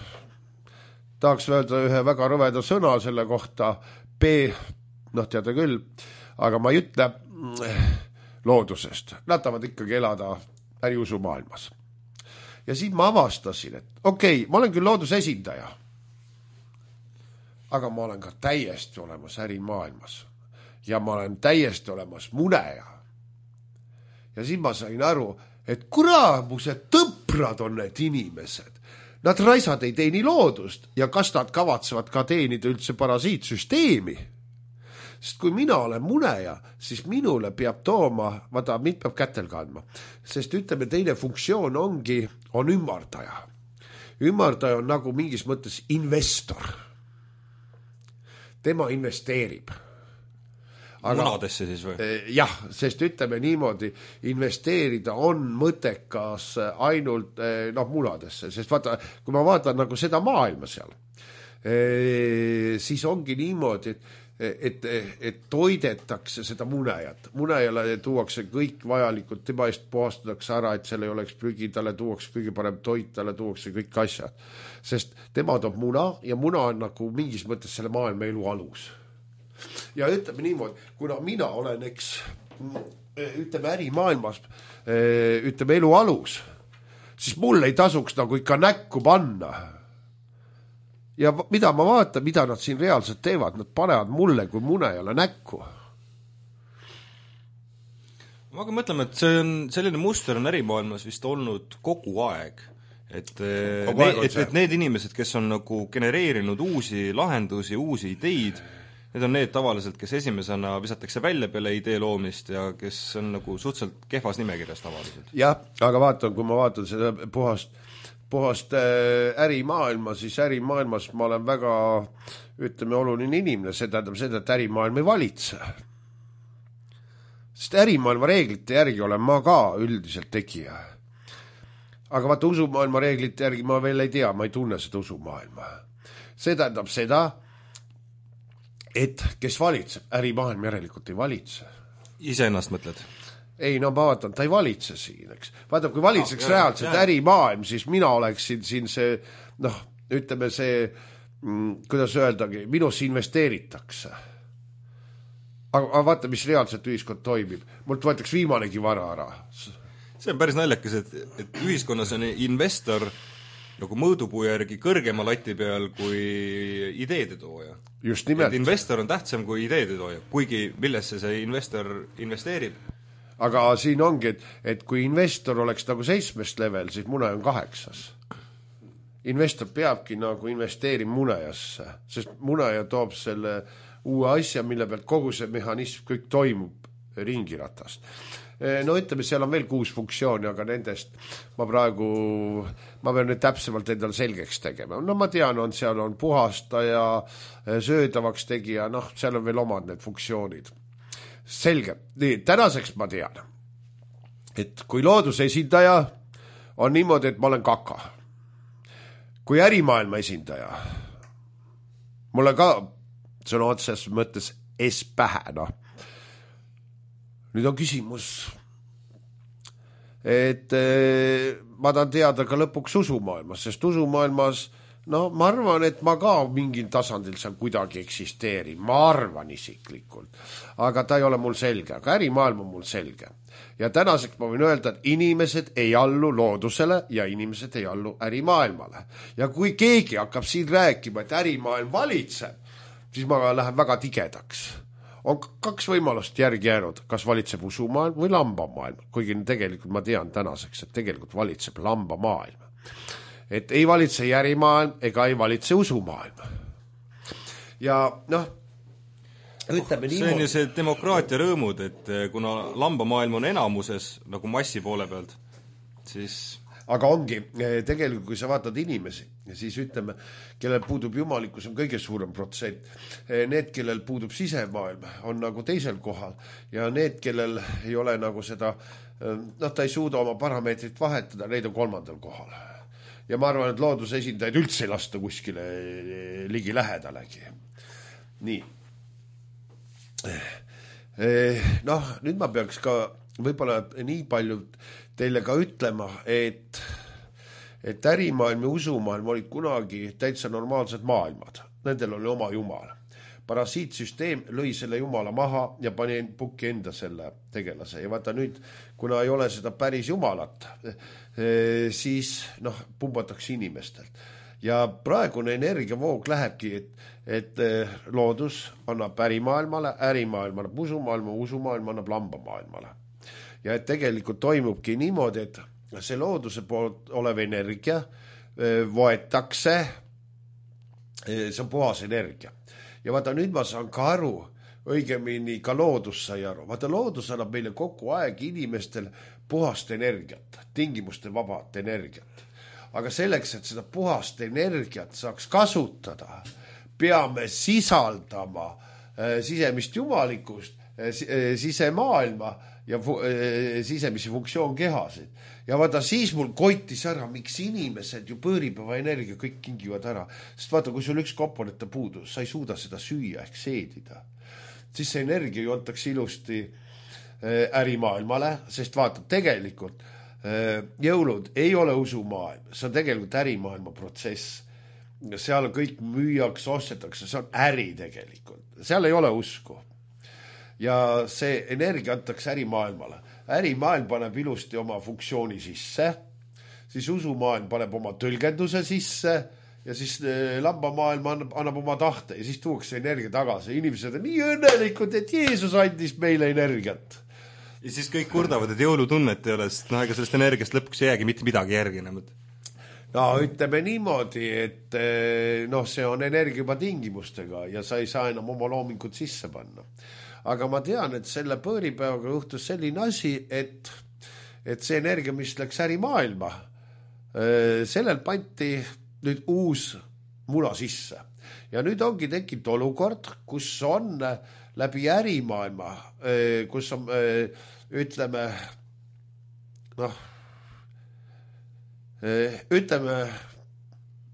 tahaks öelda ühe väga rõveda sõna selle kohta, teada küll, aga ma ei ütle loodusest. Nad tahavad ikkagi elada äriusumaailmas. Ja siis ma avastasin, et okei, ma olen küll looduse esindaja, aga ma olen ka täiesti olemas ärimaailmas. Ja ma olen täiesti olemas muneja. Ja siis ma sain aru, et kuramused tõprad on need inimesed. Nad raisad ei teeni loodust ja kas nad kavatsevad ka teenida üldse parasiitsüsteemi. Sest kui mina olen muneja, siis minule peab tooma, vaata, mind peab kätel kandma. Sest ütleme, teine funktsioon on ümardaja. Ümardaja on nagu mingis mõttes investor. Tema investeerib. Munadesse siis või? Jah, sest ütleme niimoodi, investeerida on mõttekas ainult munadesse, sest vaata, kui ma vaatan nagu seda maailma seal, siis ongi niimoodi, et toidetakse seda munejat. Munejale tuuakse kõik vajalikud, tema eest puhastatakse ära, et seal ei oleks prügi, talle tuuakse kõige parem toit, talle tuuakse kõik asjad. Sest tema toob muna ja muna on nagu mingis mõttes selle maailma elu alus. Ja ütleme niimoodi, kuna mina olen, ütleme ärimaailmas, ütleme elu alus, siis mul ei tasuks nagu ikka näkku panna. Ja mida ma vaatan, mida nad siin reaalselt teevad, nad panevad mulle kui munejale näkku. Ma hakkan mõtlema, et see on, selline muster on ärimaailmas vist olnud kogu aeg. Et need inimesed, kes on nagu genereerinud uusi lahendusi, uusi ideid, need on need tavaliselt, kes esimesena visatakse välja peale idee loomist ja kes on nagu suhteliselt kehvas nimekirjas tavaliselt. Jah, aga vaatan, kui ma vaatan seda puhast ärimaailma, siis ärimaailmas ma olen väga, ütleme, oluline inimene, see tähendab seda, et ärimaailm ei valitse. Sest ärimaailma reeglite järgi olen ma ka üldiselt tegija. Aga vaata, usumaailma reeglite järgi ma veel ei tea, ma ei tunne seda usumaailma. See tähendab seda, et kes valitseb, ärimaailm järelikult ei valitse. Iseennast mõtled? Ei, no ma vaatan, ta ei valitse siin, eks. Vaata, kui valitseks reaalselt ärimaailm, siis mina oleksin siin see, noh, ütleme see, kuidas öeldagi, minusse investeeritakse. Aga vaata, mis reaalselt ühiskond toimib. Mult võetaks viimanegi vara ära. See on päris naljakas, et ühiskonnas on investor nagu mõõdupuu järgi kõrgema lati peal kui ideede tooja. Just nimelt. Et investor on tähtsam kui ideede tooja, kuigi millesse see investor investeerib. Aga siin ongi, et kui investor oleks nagu 7. level, siis mune on 8. Investor peabki nagu investeerima munejasse, sest muneja toob selle uue asja, mille pealt kogu see mehhanism kõik toimub ringiratast. No ütleme, seal on veel 6 funktsiooni, aga nendest ma pean nüüd täpsemalt endal selgeks tegema. No ma tean, seal on puhastaja, söödavaks tegija, noh, seal on veel omad need funktsioonid. Selge. Nii, tänaseks ma tean, et kui looduse esindaja on niimoodi, et ma olen kaka. Kui ärimaailma esindaja, mulle ka sõna otses mõttes pähe, noh. Nüüd on küsimus, et ma tahan teada ka lõpuks usumaailmas, sest usumaailmas, no ma arvan, et ma ka mingil tasandil seal kuidagi eksisteerin, ma arvan isiklikult, aga ta ei ole mul selge, aga ärimaailm on mul selge. Ja tänaseks ma võin öelda, et inimesed ei allu loodusele ja inimesed ei allu ärimaailmale. Ja kui keegi hakkab siin rääkima, et ärimaailm valitseb, siis ma lähen väga tigedaks. On 2 võimalust järgi jäänud, kas valitseb usumaailm või lambamaailm, kuigi tegelikult ma tean tänaseks, et tegelikult valitseb lambamaailm. Et ei valitse ärimaailm ega ei valitse usumaailm. Ja noh, ütleme see on ju see demokraatia rõõmud, et kuna lambamaailm on enamuses nagu massi poole pealt, siis... Aga ongi, tegelikult kui sa vaatad inimesi, siis ütleme, kellel puudub jumalikkus on kõige suurem protsent. Need, kellel puudub sisemaailm, on nagu teisel kohal ja need, kellel ei ole nagu seda, noh, ta ei suuda oma parameetrit vahetada, neid on 3. kohal. Ja ma arvan, et looduse esindajaid üldse ei lasta kuskile ligi lähedalegi. Nii. Noh, nüüd ma peaks ka võib-olla nii palju teile ka ütlema, et ärimaailm ja usumaailm olid kunagi täitsa normaalsed maailmad. Nendel oli oma jumal. Parasiitsüsteem lõi selle jumala maha ja pani pukki enda selle tegelase. Ja vaata nüüd, kuna ei ole seda päris jumalat, siis noh, pumbatakse inimestelt. Ja praegune energiavoog lähebki, et loodus annab ärimaailmale, ärimaailm annab usumaailma, usumaailm annab lambamaailmale. Ja et tegelikult toimubki niimoodi, et see looduse poolt olev energia võetakse, see on puhas energia. Ja vaata, nüüd ma saan ka aru, õigemini ka loodus sai aru. Vaata, loodus annab meile kogu aeg inimestel puhast energiat, tingimuste vabat energiat. Aga selleks, et seda puhast energiat saaks kasutada, peame sisaldama sisemist jumalikust, sisemaailma ja sisemisi funktsioonkehasid. Ja vaata, siis mul koitis ära, miks inimesed ju pööripäeva energia kõik kingivad ära. Sest vaata, kui sul üks komponenta puudus, sa ei suuda seda süüa ehk seedida. Siis see energia ju antakse ilusti ärimaailmale, sest vaata, tegelikult jõulud ei ole usumaailm, see on tegelikult ärimaailma protsess. Seal kõik müüjaks, ostetakse, see on äri tegelikult. Seal ei ole usku. Ja see energia antakse ärimaailmale. Ärimaailm paneb ilusti oma funktsiooni sisse, siis usumaailm paneb oma tõlgenduse sisse ja siis lambamaailm annab oma tahte ja siis tuuakse energia tagasi. Inimesed on nii õnnelikud, et Jeesus andis meile energiat. Ja siis kõik kurdavad, et jõulutunnet ei ole, sest ega sellest energiast lõpuks ei jäägi mitte midagi järgi enam. No ütleme niimoodi, et see on energia juba tingimustega ja sa ei saa enam oma loomingut sisse panna. Aga ma tean, et selle põõripäevaga juhtus selline asi, et see energia, mis läks ärimaailma, sellel panti nüüd uus muna sisse. Ja nüüd ongi tekkinud olukord, kus on läbi ärimaailma, kus on, ütleme,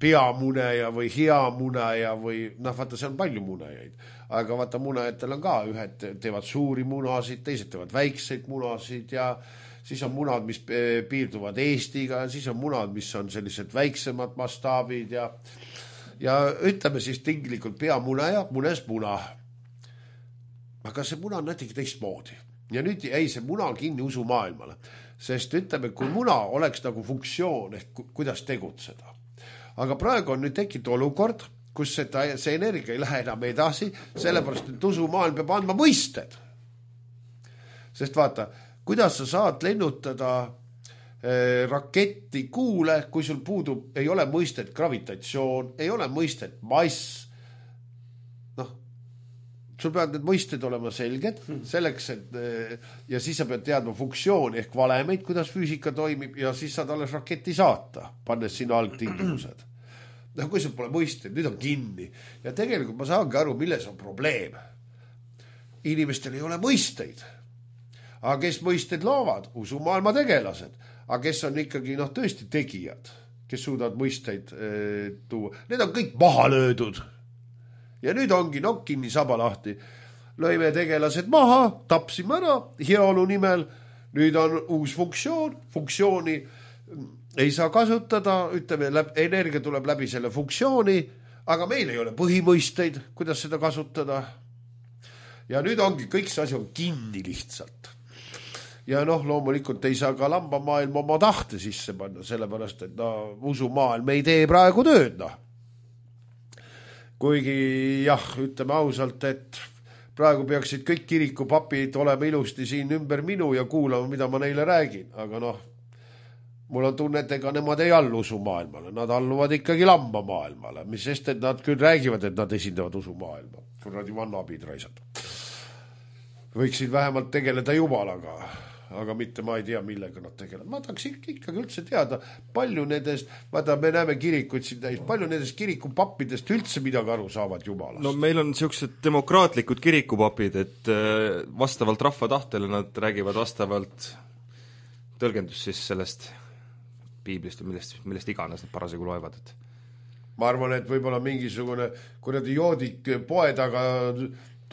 peamuneja või hea muneja või vaata, see on palju munejaid, aga vaata, munejatel on ka, ühed teevad suuri munasid, teised teevad väikseid munasid ja siis on munad, mis piirduvad Eestiga, siis on munad, mis on sellised väiksemad mastaabid ja ütleme siis tinglikult peamuneja munes muna. Aga see muna on natuke teistmoodi. Ja nüüd jäi see muna kinni usumaailmale, sest ütleme, kui muna oleks nagu funktsioon, ehk kuidas tegutseda. Aga praegu on nüüd tekkinud olukord, kus see energia ei lähe enam edasi, sellepärast, et usumaailm peab andma mõisted. Sest vaata, kuidas sa saad lennutada raketti kuule, kui sul puudub, ei ole mõistet gravitatsioon, ei ole mõistet mass. Sul peavad need mõisted olema selged, selleks, et ja siis sa pead teadma funktsiooni ehk valemeid, kuidas füüsika toimib ja siis saad alles raketi saata, pannes sinna algtingimused. Kui sul pole mõisted, nüüd on kinni. Ja tegelikult ma saangi aru, milles on probleem. Inimestel ei ole mõisteid. Aga kes mõisted loovad? Usumaailma tegelased. Aga kes on ikkagi tõesti tegijad, kes suudavad mõisteid tuua. Need on kõik maha löödud. Ja nüüd ongi kinni saba lahti. Lõime tegelased maha, tapsime ära heaolu nimel. Nüüd on uus funktsioon. Funktsiooni ei saa kasutada, ütleme, energia tuleb läbi selle funktsiooni, aga meil ei ole põhimõisteid, kuidas seda kasutada. Ja nüüd ongi, kõik see asi on kinni lihtsalt. Ja loomulikult ei saa ka lambamaailm oma tahte sisse panna, sellepärast, et usumaailm ei tee praegu tööd, Kuigi ütleme ausalt, et praegu peaksid kõik kirikupapid olema ilusti siin ümber minu ja kuulama, mida ma neile räägin. Aga mul on tunne, et ega nemad ei allu usumaailmale. Nad alluvad ikkagi lambamaailmale, mis sest, et nad küll räägivad, et nad esindavad usumaailma. Kuradi vannabid raisad. Võiksid vähemalt tegeleda jumalaga. Aga mitte ma ei tea, millega nad tegelevad. Ma tahaks ikkagi üldse teada, palju nendest, vaata, me näeme kirikuid siin täis, palju nendest kirikupappidest üldse midagi aru saavad jumalast. No meil on sellised demokraatlikud kirikupapid, et vastavalt rahva tahtele nad räägivad vastavalt tõlgendus siis sellest piiblist või millest iganes nad parasjagu loevad. Ma arvan, et võib-olla mingisugune kuradi joodik poe taga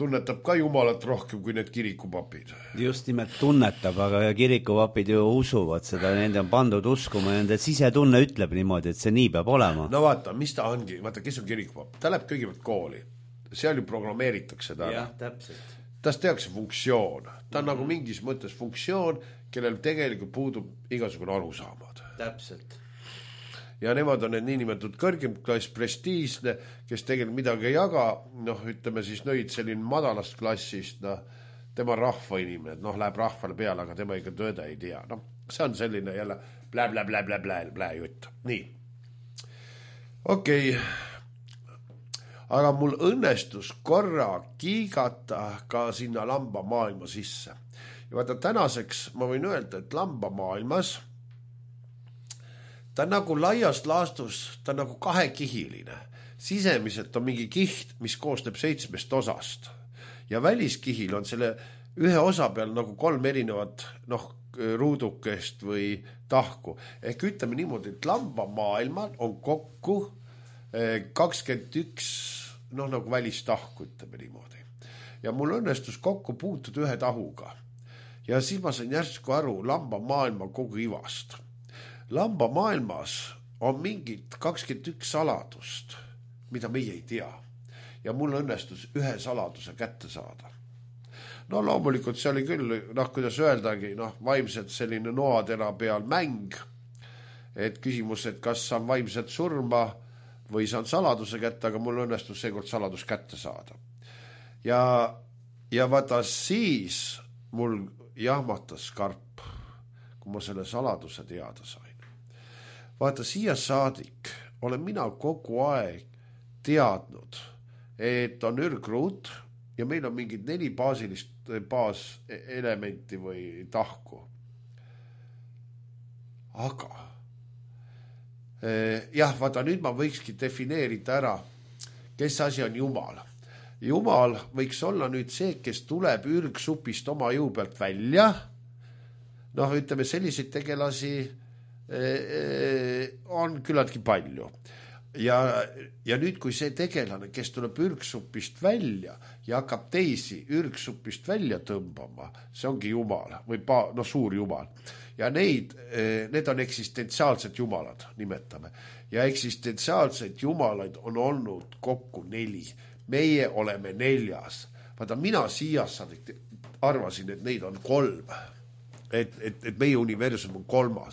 tunnetab ka jumalat rohkem kui need kirikupapid. Just nimelt tunnetab, aga kirikupapid ju usuvad seda, nende on pandud uskuma ja nende sisetunne ütleb niimoodi, et see nii peab olema. No vaata, mis ta ongi, vaata, kes on kirikupapp? Ta läheb kõigepealt kooli, seal ju programmeeritakse ta. Jah, täpselt. Tas tehakse funktsioon. Ta on nagu mingis mõttes funktsioon, kellel tegelikult puudub igasugune arusaamad. Täpselt. Ja nemad on need niinimetatud kõrgem klass, prestiisne, kes tegelikult midagi ei jaga, ütleme siis nõid selline madalast klassist, tema rahvainimene, läheb rahvale peale, aga tema ikka tõde ei tea. See on selline jälle blä jutt. Nii. Okei. Aga mul õnnestus korra kiigata ka sinna lambamaailma sisse. Ja vaata, tänaseks ma võin öelda, et lambamaailmas ta on nagu laiast laastus, ta on nagu kahekihiline. Sisemiselt on mingi kiht, mis koosneb 7 osast. Ja väliskihil on selle ühe osa peal nagu 3 erinevat ruudukest või tahku. Ehk ütleme niimoodi, et lambamaailmal on kokku 21 nagu välistahku, ütleme niimoodi. Ja mul õnnestus kokku puutud ühe tahuga. Ja siis ma sain järsku aru lambamaailma kogu ivast. Lambamaailmas on mingid 21 saladust, mida meie ei tea. Ja mul õnnestus ühe saladuse kätte saada. Loomulikult see oli küll, kuidas öeldagi, vaimselt selline noatera peal mäng. et küsimus, et kas saan vaimset surma või saan saladuse kätte, aga mul õnnestus seekord saladus kätte saada. Ja vaata siis mul jahmatas karp, kui ma selle saladuse teada sain. Vaata siia saadik olen mina kogu aeg teadnud, et on ürgruut ja meil on mingid 4 baaselementi või tahku. Aga jah, vaata nüüd ma võikski defineerida ära, kes asi on Jumal. Jumal võiks olla nüüd see, kes tuleb ürgsupist oma jõu pealt välja. Noh, ütleme, selliseid tegelasi on küllaltki palju. Ja nüüd, kui see tegelane, kes tuleb ürgsupist välja ja hakkab teisi ürgsupist välja tõmbama, see ongi Jumal või suur Jumal. Ja need on eksistentsiaalsed jumalad, nimetame. Ja eksistentsiaalsed jumalaid on olnud kokku 4. Meie oleme 4. Vaata, mina siias arvasin, et neid on 3. Et meie universum on 3.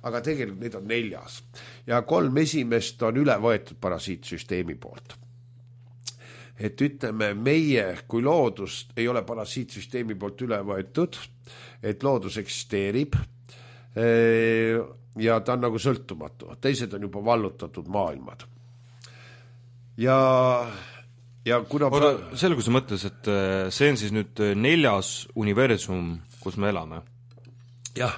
Aga tegelikult neid on 4. Ja 3 esimest on üle võetud parasiitsüsteemi poolt. Et ütleme, meie kui loodust ei ole parasiitsüsteemi poolt üle võetud, et loodus eksisteerib ja ta on nagu sõltumatu. Teised on juba vallutatud maailmad. Ja kuna... Selgus mõttes, et see on siis nüüd 4. universum, kus me elame. Jah.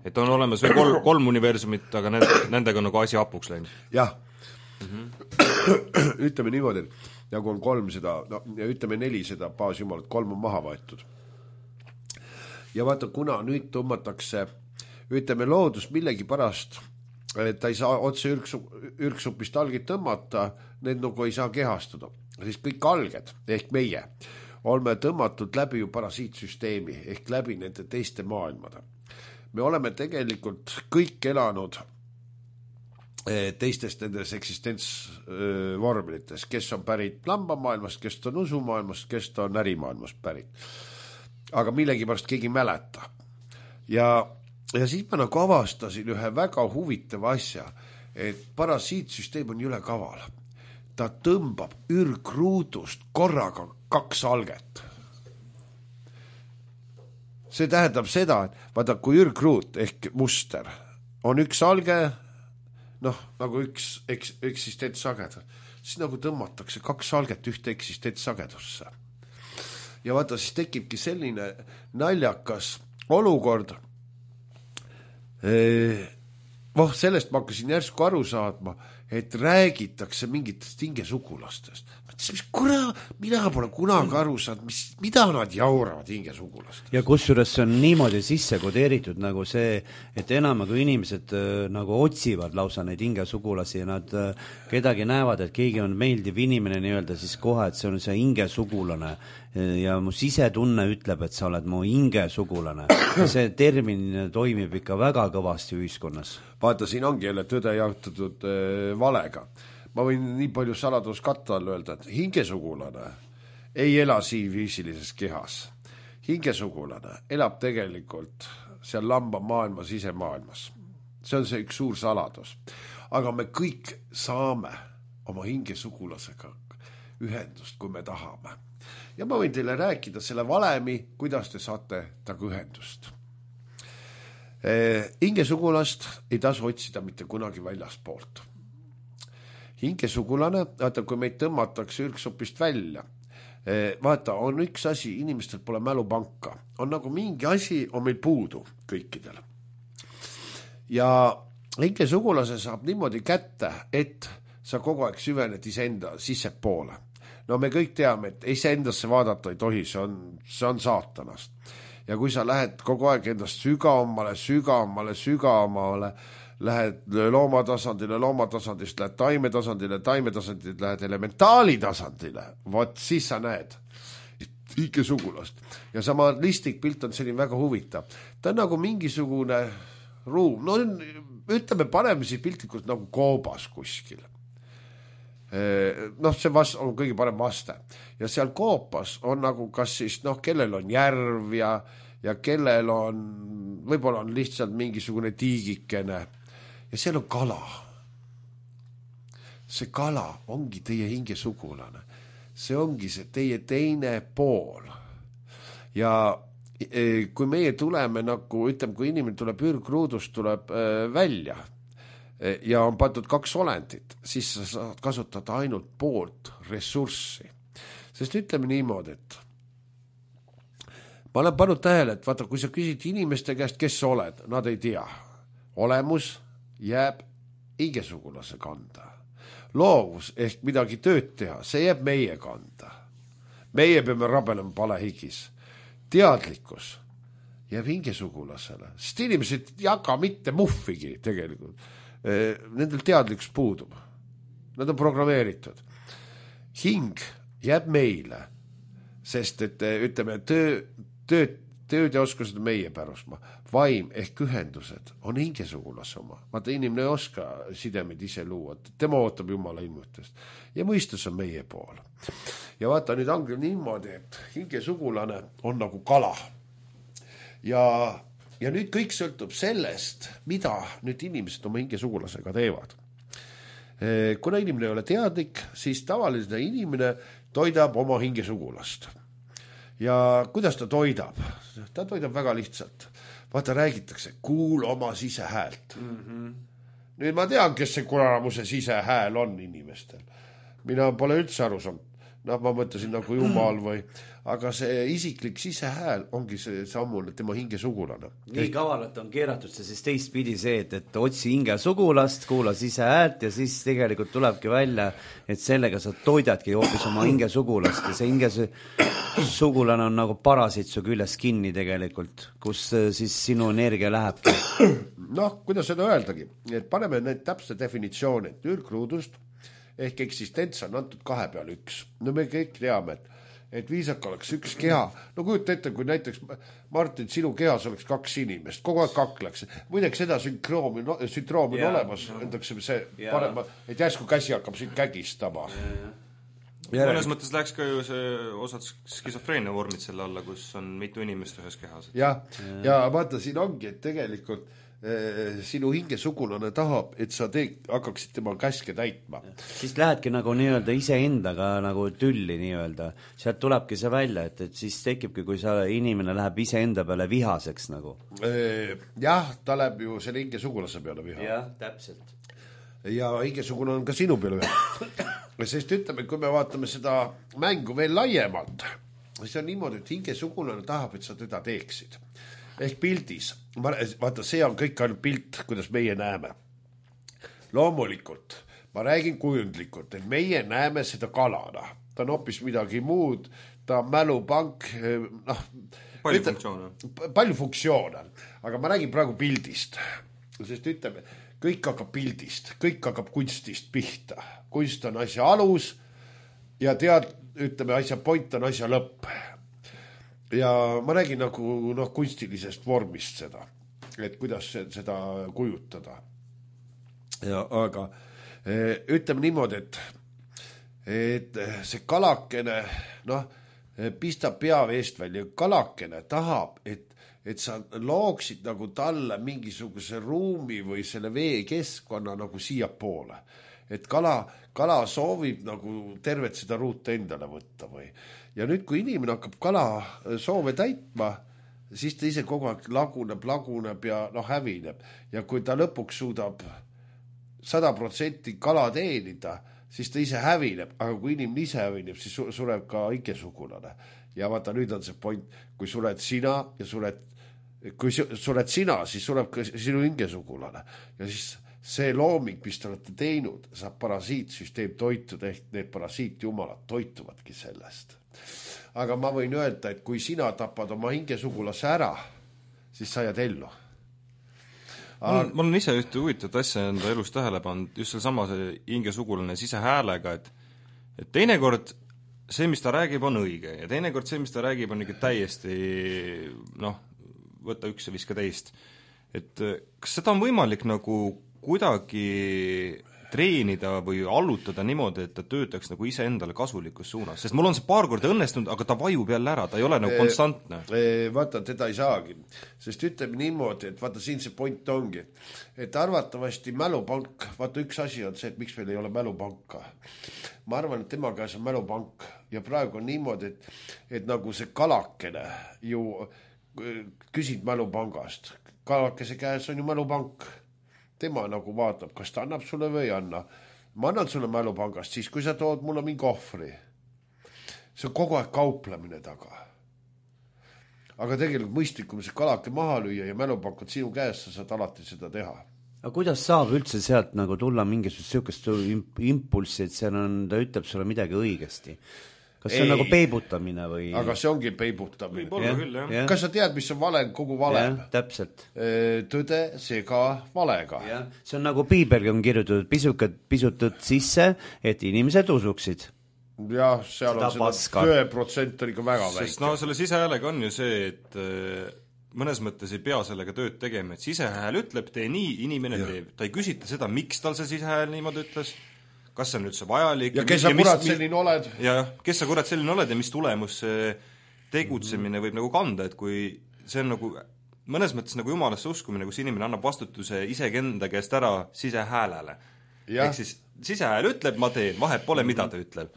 Et on olemas veel 3 universumit, aga nendega on nagu asi hapuks läinud. Jah. Ütleme niimoodi, nagu on 3 seda, ja ütleme 4 seda baasjumalat, 3 on maha võetud. Ja vaata, kuna nüüd tõmmatakse, ütleme loodus millegi pärast, et ta ei saa otse ürgsupist algid tõmmata, need nagu ei saa kehastuda. Siis kõik alged, ehk meie, oleme tõmmatud läbi ju parasiitsüsteemi, ehk läbi nende teiste maailmade. Me oleme tegelikult kõik elanud teistest nendes eksistentsvormilites, kes on pärit lambamaailmast, kes on usumaailmast, kes on ärimaailmast pärit. Aga millegipärast keegi mäleta. Ja siis ma nagu avastasin ühe väga huvitava asja, et parasiitsüsteem on üle kaval. Ta tõmbab ürgruudust korraga 2 alget. See tähendab seda, et vaata, kui ürgruut ehk muster on 1 alge, nagu 1 eksistentsagedus, siis nagu tõmmatakse 2 alget ühte eksistentsagedusse. Ja vaata, siis tekibki selline naljakas olukord. Sellest ma hakkasin järsku aru saadma, et räägitakse mingitest hingesugulastest. Mina pole kunagi aru saanud, mida nad jauravad hingesugulastest. Ja kusjuures see on niimoodi sisse kodeeritud nagu see, et enamaga inimesed nagu otsivad lausa neid hingesugulasi ja nad kedagi näevad, et keegi on meeldiv inimene nii-öelda siis kohe, et see on see hingesugulane ja mu sisetunne ütleb, et sa oled mu hingesugulane. Ja see termin toimib ikka väga kõvasti ühiskonnas. Vaata, siin ongi jälle tõde jahtatud valega. Ma võin nii palju saladuskatta all öelda, et hingesugulane ei ela siin füüsilises kehas. Hingesugulane elab tegelikult seal lamba maailmas, sisemaailmas. See on see üks suur saladus. Aga me kõik saame oma hingesugulasega ühendust, kui me tahame. Ja ma võin teile rääkida selle valemi, kuidas te saate taga ühendust. Hingesugulast ei tasu otsida mitte kunagi väljaspoolt. Hingesugulane, vaata, kui meid tõmmatakse ürgsupist välja, vaata, on üks asi, inimestel pole mälupanka. On nagu mingi asi, on meil puudu kõikidel. Ja hingesugulase saab niimoodi kätte, et sa kogu aeg süvened iseenda sissepoole. No me kõik teame, et iseendasse vaadata ei tohi, see on saatanast. Ja kui sa lähed kogu aeg endast sügavamale, lähed loomatasandist, lähed taimetasandile, lähed elementaalitasandile, vot siis sa näed hingesugulast. Ja sama listlik pilt on selline väga huvitav. Ta on nagu mingisugune ruum, no ütleme, paneme siis piltlikult nagu koobas kuskil. See on kõige parem vaste. Ja seal koopas on nagu kas siis, kellel on järv ja ja kellel on, võib-olla on lihtsalt mingisugune tiigikene ja seal on kala. See kala ongi teie hingesugulane. See ongi see teie teine pool. Ja kui meie tuleme nagu, ütleme, kui inimene tuleb ürgruudust, tuleb välja ja on pandud 2 olendit, siis sa saad kasutada ainult poolt ressurssi. Sest ütleme niimoodi, et ma olen pannud tähele, et vaata, kui sa küsid inimeste käest, kes sa oled, nad ei tea. Olemus jääb hingesugulase kanda. Loovus ehk midagi tööd teha, see jääb meie kanda. Meie peame rabelema palehigis. Teadlikkus jääb hingesugulasele, sest inimesed ei jaga mitte muhvigi tegelikult. Nendel teadlikkus puudub. Nad on programmeeritud. Hing jääb meile, sest et ütleme, tööd ja oskused on meie pärusmaa. Vaim ehk ühendused on hingesugulase oma. Vaata, inimene ei oska sidemeid ise luua. Tema ootab Jumala ilmutust. Ja mõistus on meie pool. Ja vaata, nüüd ongi niimoodi, et hingesugulane on nagu kala. Ja nüüd kõik sõltub sellest, mida nüüd inimesed oma hingesugulasega teevad. Kuna inimene ei ole teadlik, siis tavaline inimene toidab oma hingesugulast. Ja kuidas ta toidab? Ta toidab väga lihtsalt. Vaata, räägitakse, kuul oma sisehäält. Nüüd ma tean, kes see kuramuse sisehääl on inimestel. Mina pole üldse aru saanud. Ma mõtlesin nagu Jumal või, aga see isiklik sisehääl ongi see sammune tema hingesugulane. Nii kavalalt on keeratud see siis teistpidi see, et otsi hingesugulast, kuula sisehäält ja siis tegelikult tulebki välja, et sellega sa toidadki hoopis oma hingesugulast ja see hingesugulane on nagu parasiit su küljes kinni tegelikult, kus siis sinu energia lähebki. Noh, kuidas seda öeldagi, et paneme need täpse definitsiooni, et ürgruudust ehk eksistents on antud 2 peal 1. No me kõik teame, et viisak oleks üks keha. No kujuta ette, kui näiteks Martin, sinu kehas oleks 2 inimest, kogu aeg kakleks. Muideks seda sündroomi on olemas, ütleks see parema, et järsku käsi hakkab siin kägistama. Mõnes mõttes läheks ka ju see osad skisofreenia vormid selle alla, kus on mitu inimest ühes kehas. Ja vaata, siin ongi, et tegelikult sinu hingesugulane tahab, et sa hakkaksid tema käske täitma. Siis lähedki nagu nii-öelda iseendaga nagu tülli nii-öelda. Sealt tulebki see välja, et siis tekibki, kui inimene läheb iseenda peale vihaseks nagu. Jah, ta läheb ju selle hingesugulase peale viha. Jah, täpselt. Ja hingesugulane on ka sinu peale viha. Sest ütleme, kui me vaatame seda mängu veel laiemalt, siis on niimoodi, et hingesugulane tahab, et sa teda teeksid. Ehk pildis, vaata, see on kõik ainult pilt, kuidas meie näeme. Loomulikult, ma räägin kujundlikult, et meie näeme seda kalana. Ta on hoopis midagi muud, ta on mälupank, palju funktsioone, aga ma räägin praegu pildist. Sest ütleme, kõik hakkab pildist, kõik hakkab kunstist pihta. Kunst on asja alus ja ütleme, asja point on asja lõpp. Ja ma räägin nagu kunstilisest vormist seda, et kuidas seda kujutada. Aga ütleme niimoodi, et see kalakene pistab pea veest välja. Kalakene tahab, et sa looksid nagu talle mingisuguse ruumi või selle vee keskkonna nagu siia poole. Et kala soovib nagu tervet seda ruute endale võtta või. Ja nüüd, kui inimene hakkab kala soove täitma, siis ta ise kogu aeg laguneb ja hävineb. Ja kui ta lõpuks suudab 100% kala teenida, siis ta ise hävineb. Aga kui inimene ise hävineb, siis sureb ka hingesugulane. Ja vaata, nüüd on see point, kui sured sina ja kui sured sina, siis sureb ka sinu hingesugulane. Ja siis see looming, mis te olete teinud, saab parasiitsüsteem toituda, ehk need parasiitjumalad toituvadki sellest. Aga ma võin öelda, et kui sina tapad oma hingesugulase ära, siis sa jääd ellu. Ma olen ise ühte huvitavat asja enda elus tähele pannud, just sama hingesugulane sisehäälega, et teinekord see, mis ta räägib, on õige ja teinekord see, mis ta räägib, on ikka täiesti võta üks ja viska teist. Et kas seda on võimalik nagu kuidagi treenida või allutada niimoodi, et ta töötaks nagu iseendale kasulikus suunas, sest mul on see paar korda õnnestunud, aga ta vajub jälle ära, ta ei ole nagu konstantne. Vaata, teda ei saagi, sest ütleme niimoodi, et vaata siin see point ongi, et arvatavasti mälupank, vaata üks asi on see, et miks meil ei ole mälupanka. Ma arvan, et tema käes on mälupank ja praegu on niimoodi, et nagu see kalakene ju küsid mälupangast, kalakese käes on ju mälupank. Tema nagu vaatab, kas ta annab sulle või ei anna. Ma annan sulle mälupangast siis, kui sa tood mulle mingi ohvri. See on kogu aeg kauplemine taga. Aga tegelikult mõistlikum see kalake maha lüüa ja mälupank on sinu käes, sa saad alati seda teha. Aga kuidas saab üldse sealt nagu tulla mingisugust sihukest impulssi, et seal on, ta ütleb sulle midagi õigesti? Kas see on nagu peibutamine või? Aga see ongi peibutamine. Võib-olla küll, jah. Kas sa tead, mis on vale, kogu vale? Täpselt. Tõde sega valega. See on nagu piibelgi on kirjutatud pisutad sisse, et inimesed usuksid. Jah, seal seda on seda 2% on ikka väga väike. Sest no selle sisehäälega on ju see, et mõnes mõttes ei pea sellega tööd tegema, et sisehääl ütleb, tee nii, inimene teeb. Ta ei küsita seda, miks tal see sisehääl niimoodi ütles, kas see on üldse vajalik ja kes sa kurat selline oled ja kes sa kurat selline oled ja mis tulemus see tegutsemine võib nagu kanda, et kui see on nagu mõnes mõttes nagu jumalasse uskumine, kus inimene annab vastutuse isegi enda käest ära sisehäälele. Ehk siis sisehääl ütleb, ma teen, vahet pole, mida ta ütleb.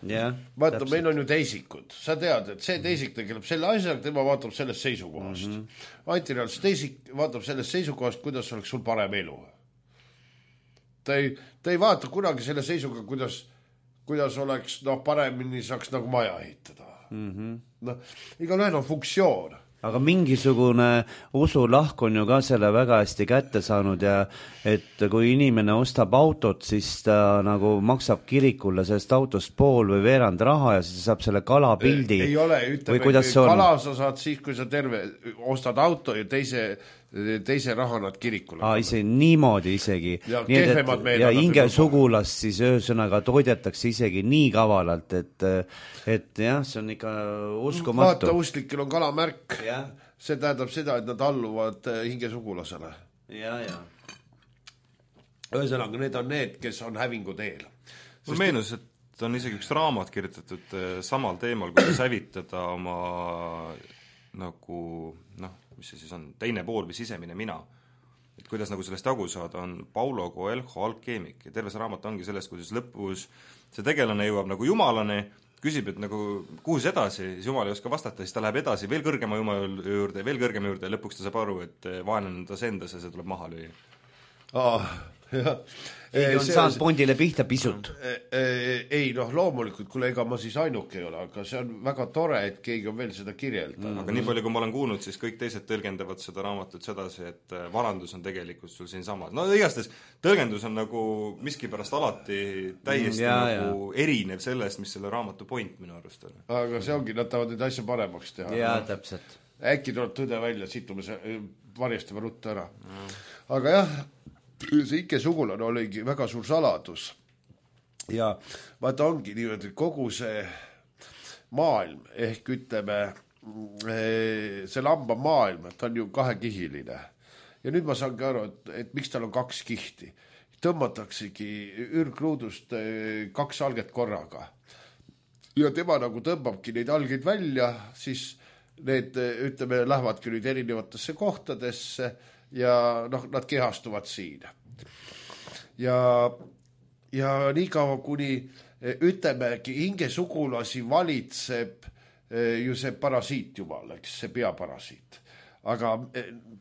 Vaata, meil on ju teisikud, sa tead, et see teisik tegeleb selle asjaga, tema vaatab sellest seisukohast. Antireal, see teisik vaatab sellest seisukohast, kuidas oleks sul parem elu. Ta ei vaata kunagi selle seisuga, kuidas oleks paremini saaks nagu maja ehitada. Igalühel on funktsioon. Aga mingisugune usulahk on ju ka selle väga hästi kätte saanud ja et kui inimene ostab autot, siis ta nagu maksab kirikule sellest autost pool või veerand raha ja siis saab selle kalapildi. Ei ole, ütleme, kala sa saad siis, kui sa ostad auto ja teise raha nad kirikule. Niimoodi isegi. Ja hinge sugulast siis öösõnaga toidetakse isegi nii kavalalt, et jah, see on ikka uskumatu. Vaata, usklikel on kalamärk. See tähendab seda, et nad alluvad hinge sugulasele. Ühesõnaga, need on need, kes on hävingu teel. Mul meenus, et on isegi üks raamat kirjutatud samal teemal, kuidas hävitada oma nagu, mis see siis on, teine pool või sisemine mina. Et kuidas nagu sellest jagu saada, on Paulo Coelho alkeemik ja terve see raamat ongi sellest, kuidas lõpus see tegelane jõuab nagu jumalane, küsib, et nagu kuhu see edasi, siis jumal ei oska vastata, siis ta läheb edasi veel kõrgema jumala juurde, veel kõrgema juurde ja lõpuks ta saab aru, et vaenlane on ta sendas ja see tuleb maha lüüa. Keegi on saanud Bondile pihta pisut. Ei, loomulikult, kuule, ega ma siis ainuke ei ole, aga see on väga tore, et keegi on veel seda kirjeldanud. Aga nii palju, kui ma olen kuulnud, siis kõik teised tõlgendavad seda raamatut sedasi, et varandus on tegelikult sul siin samad. Igastes tõlgendus on nagu miskipärast alati täiesti nagu erinev sellest, mis selle raamatu point minu arust on. Aga see ongi, nad tahavad neid asja paremaks teha. Jaa, täpselt. Äkki tuleb tõde välja, situme see varjastava rutta ära. Aga jah, see ikke sugulane oligi väga suur saladus ja vaata ongi niimoodi kogu see maailm ehk ütleme see lamba maailm, ta on ju kahekihiline ja nüüd ma saangi aru, et miks tal on 2 kihti, tõmmataksegi ürgruudust 2 alget korraga ja tema nagu tõmbabki neid algeid välja, siis need ütleme lähevadki nüüd erinevatesse kohtadesse ja nad kehastuvad siin. Ja nii kaua, kuni ütlemegi hinge sugulasi valitseb ju see parasiit jumal, eks, see peaparasiit. Aga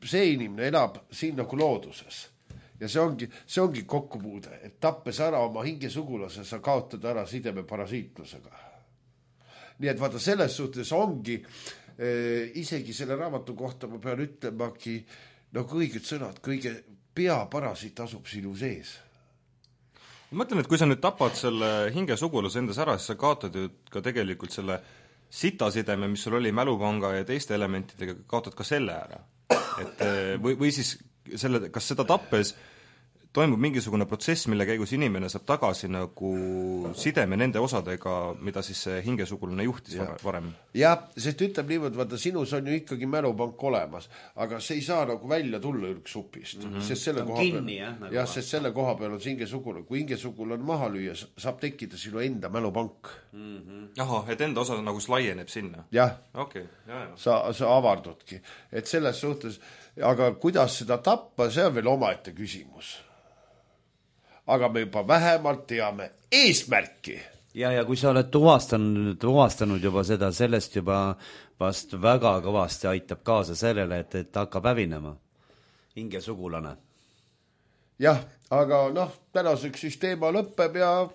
see inimene elab siin nagu looduses. Ja see ongi kokkupuude, et tappes ära oma hinge sugulase, sa kaotad ära sideme parasiitlusega. Nii et vaata, selles suhtes ongi isegi selle raamatu kohta ma pean ütlemagi õiged sõnad, kõige peaparasiit asub sinu sees. Ma mõtlen, et kui sa nüüd tapad selle hinge sugulase endas ära, siis sa kaotad ju ka tegelikult selle sitasideme, mis sul oli mälupanga ja teiste elementidega, kaotad ka selle ära. Et, või siis selle, kas seda tappes toimub mingisugune protsess, mille käigus inimene saab tagasi nagu sideme nende osadega, mida siis see hingesugulane juhtis varem. Jah, sest ütleb niimoodi, vaata, sinus on ju ikkagi mälupank olemas, aga see ei saa nagu välja tulla ürksupist, sest selle koha kinni, peal, sest selle koha peal on see hingesugulane. Kui hingesugulane maha lüüa, saab tekkida sinu enda mälupank. Ahah, et enda osa nagu laieneb sinna? Jah, okay, sa avardudki. Et selles suhtes, aga kuidas seda tappa, see on veel omaette küsimus. Aga me juba vähemalt teame eesmärki. Ja kui sa oled tuvastanud juba seda, sellest juba vast väga kõvasti aitab kaasa sellele, et hakkab hävinema hingesugulane. Jah, aga tänaseks siis teema lõppeb ja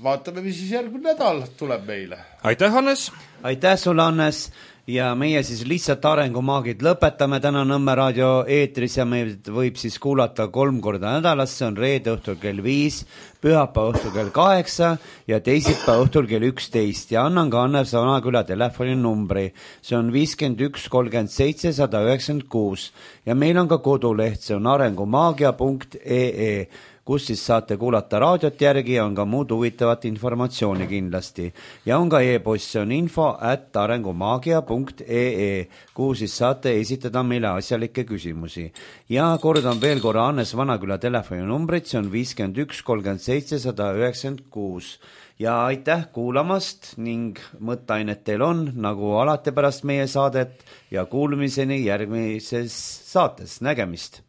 vaatame, mis siis järgmine nädal tuleb meile. Aitäh, Hannes! Aitäh sulle, Hannes! Ja meie siis lihtsalt arengumaagid lõpetame täna Nõmme raadio eetris ja me võib siis kuulata 3 korda nädalas, see on reede õhtul kell 5, pühapäeva õhtul kell 8 ja teisipäeva õhtul kell 11 ja annan ka Hannes Vanaküla telefoninumbri, see on 51 37 196 ja meil on ka koduleht, see on arengumaagia.ee, kus siis saate kuulata raadiot järgi ja on ka muud huvitavat informatsiooni kindlasti. Ja on ka e-post, see on info@arengumaagia.ee, kuhu siis saate esitada meile asjalikke küsimusi. Ja kordan veel korra Hannes Vanaküla telefoninumbrit, see on 51 37 196. Ja aitäh kuulamast ning mõtteainet teil on, nagu alati pärast meie saadet ja kuulmiseni järgmises saates. Nägemist!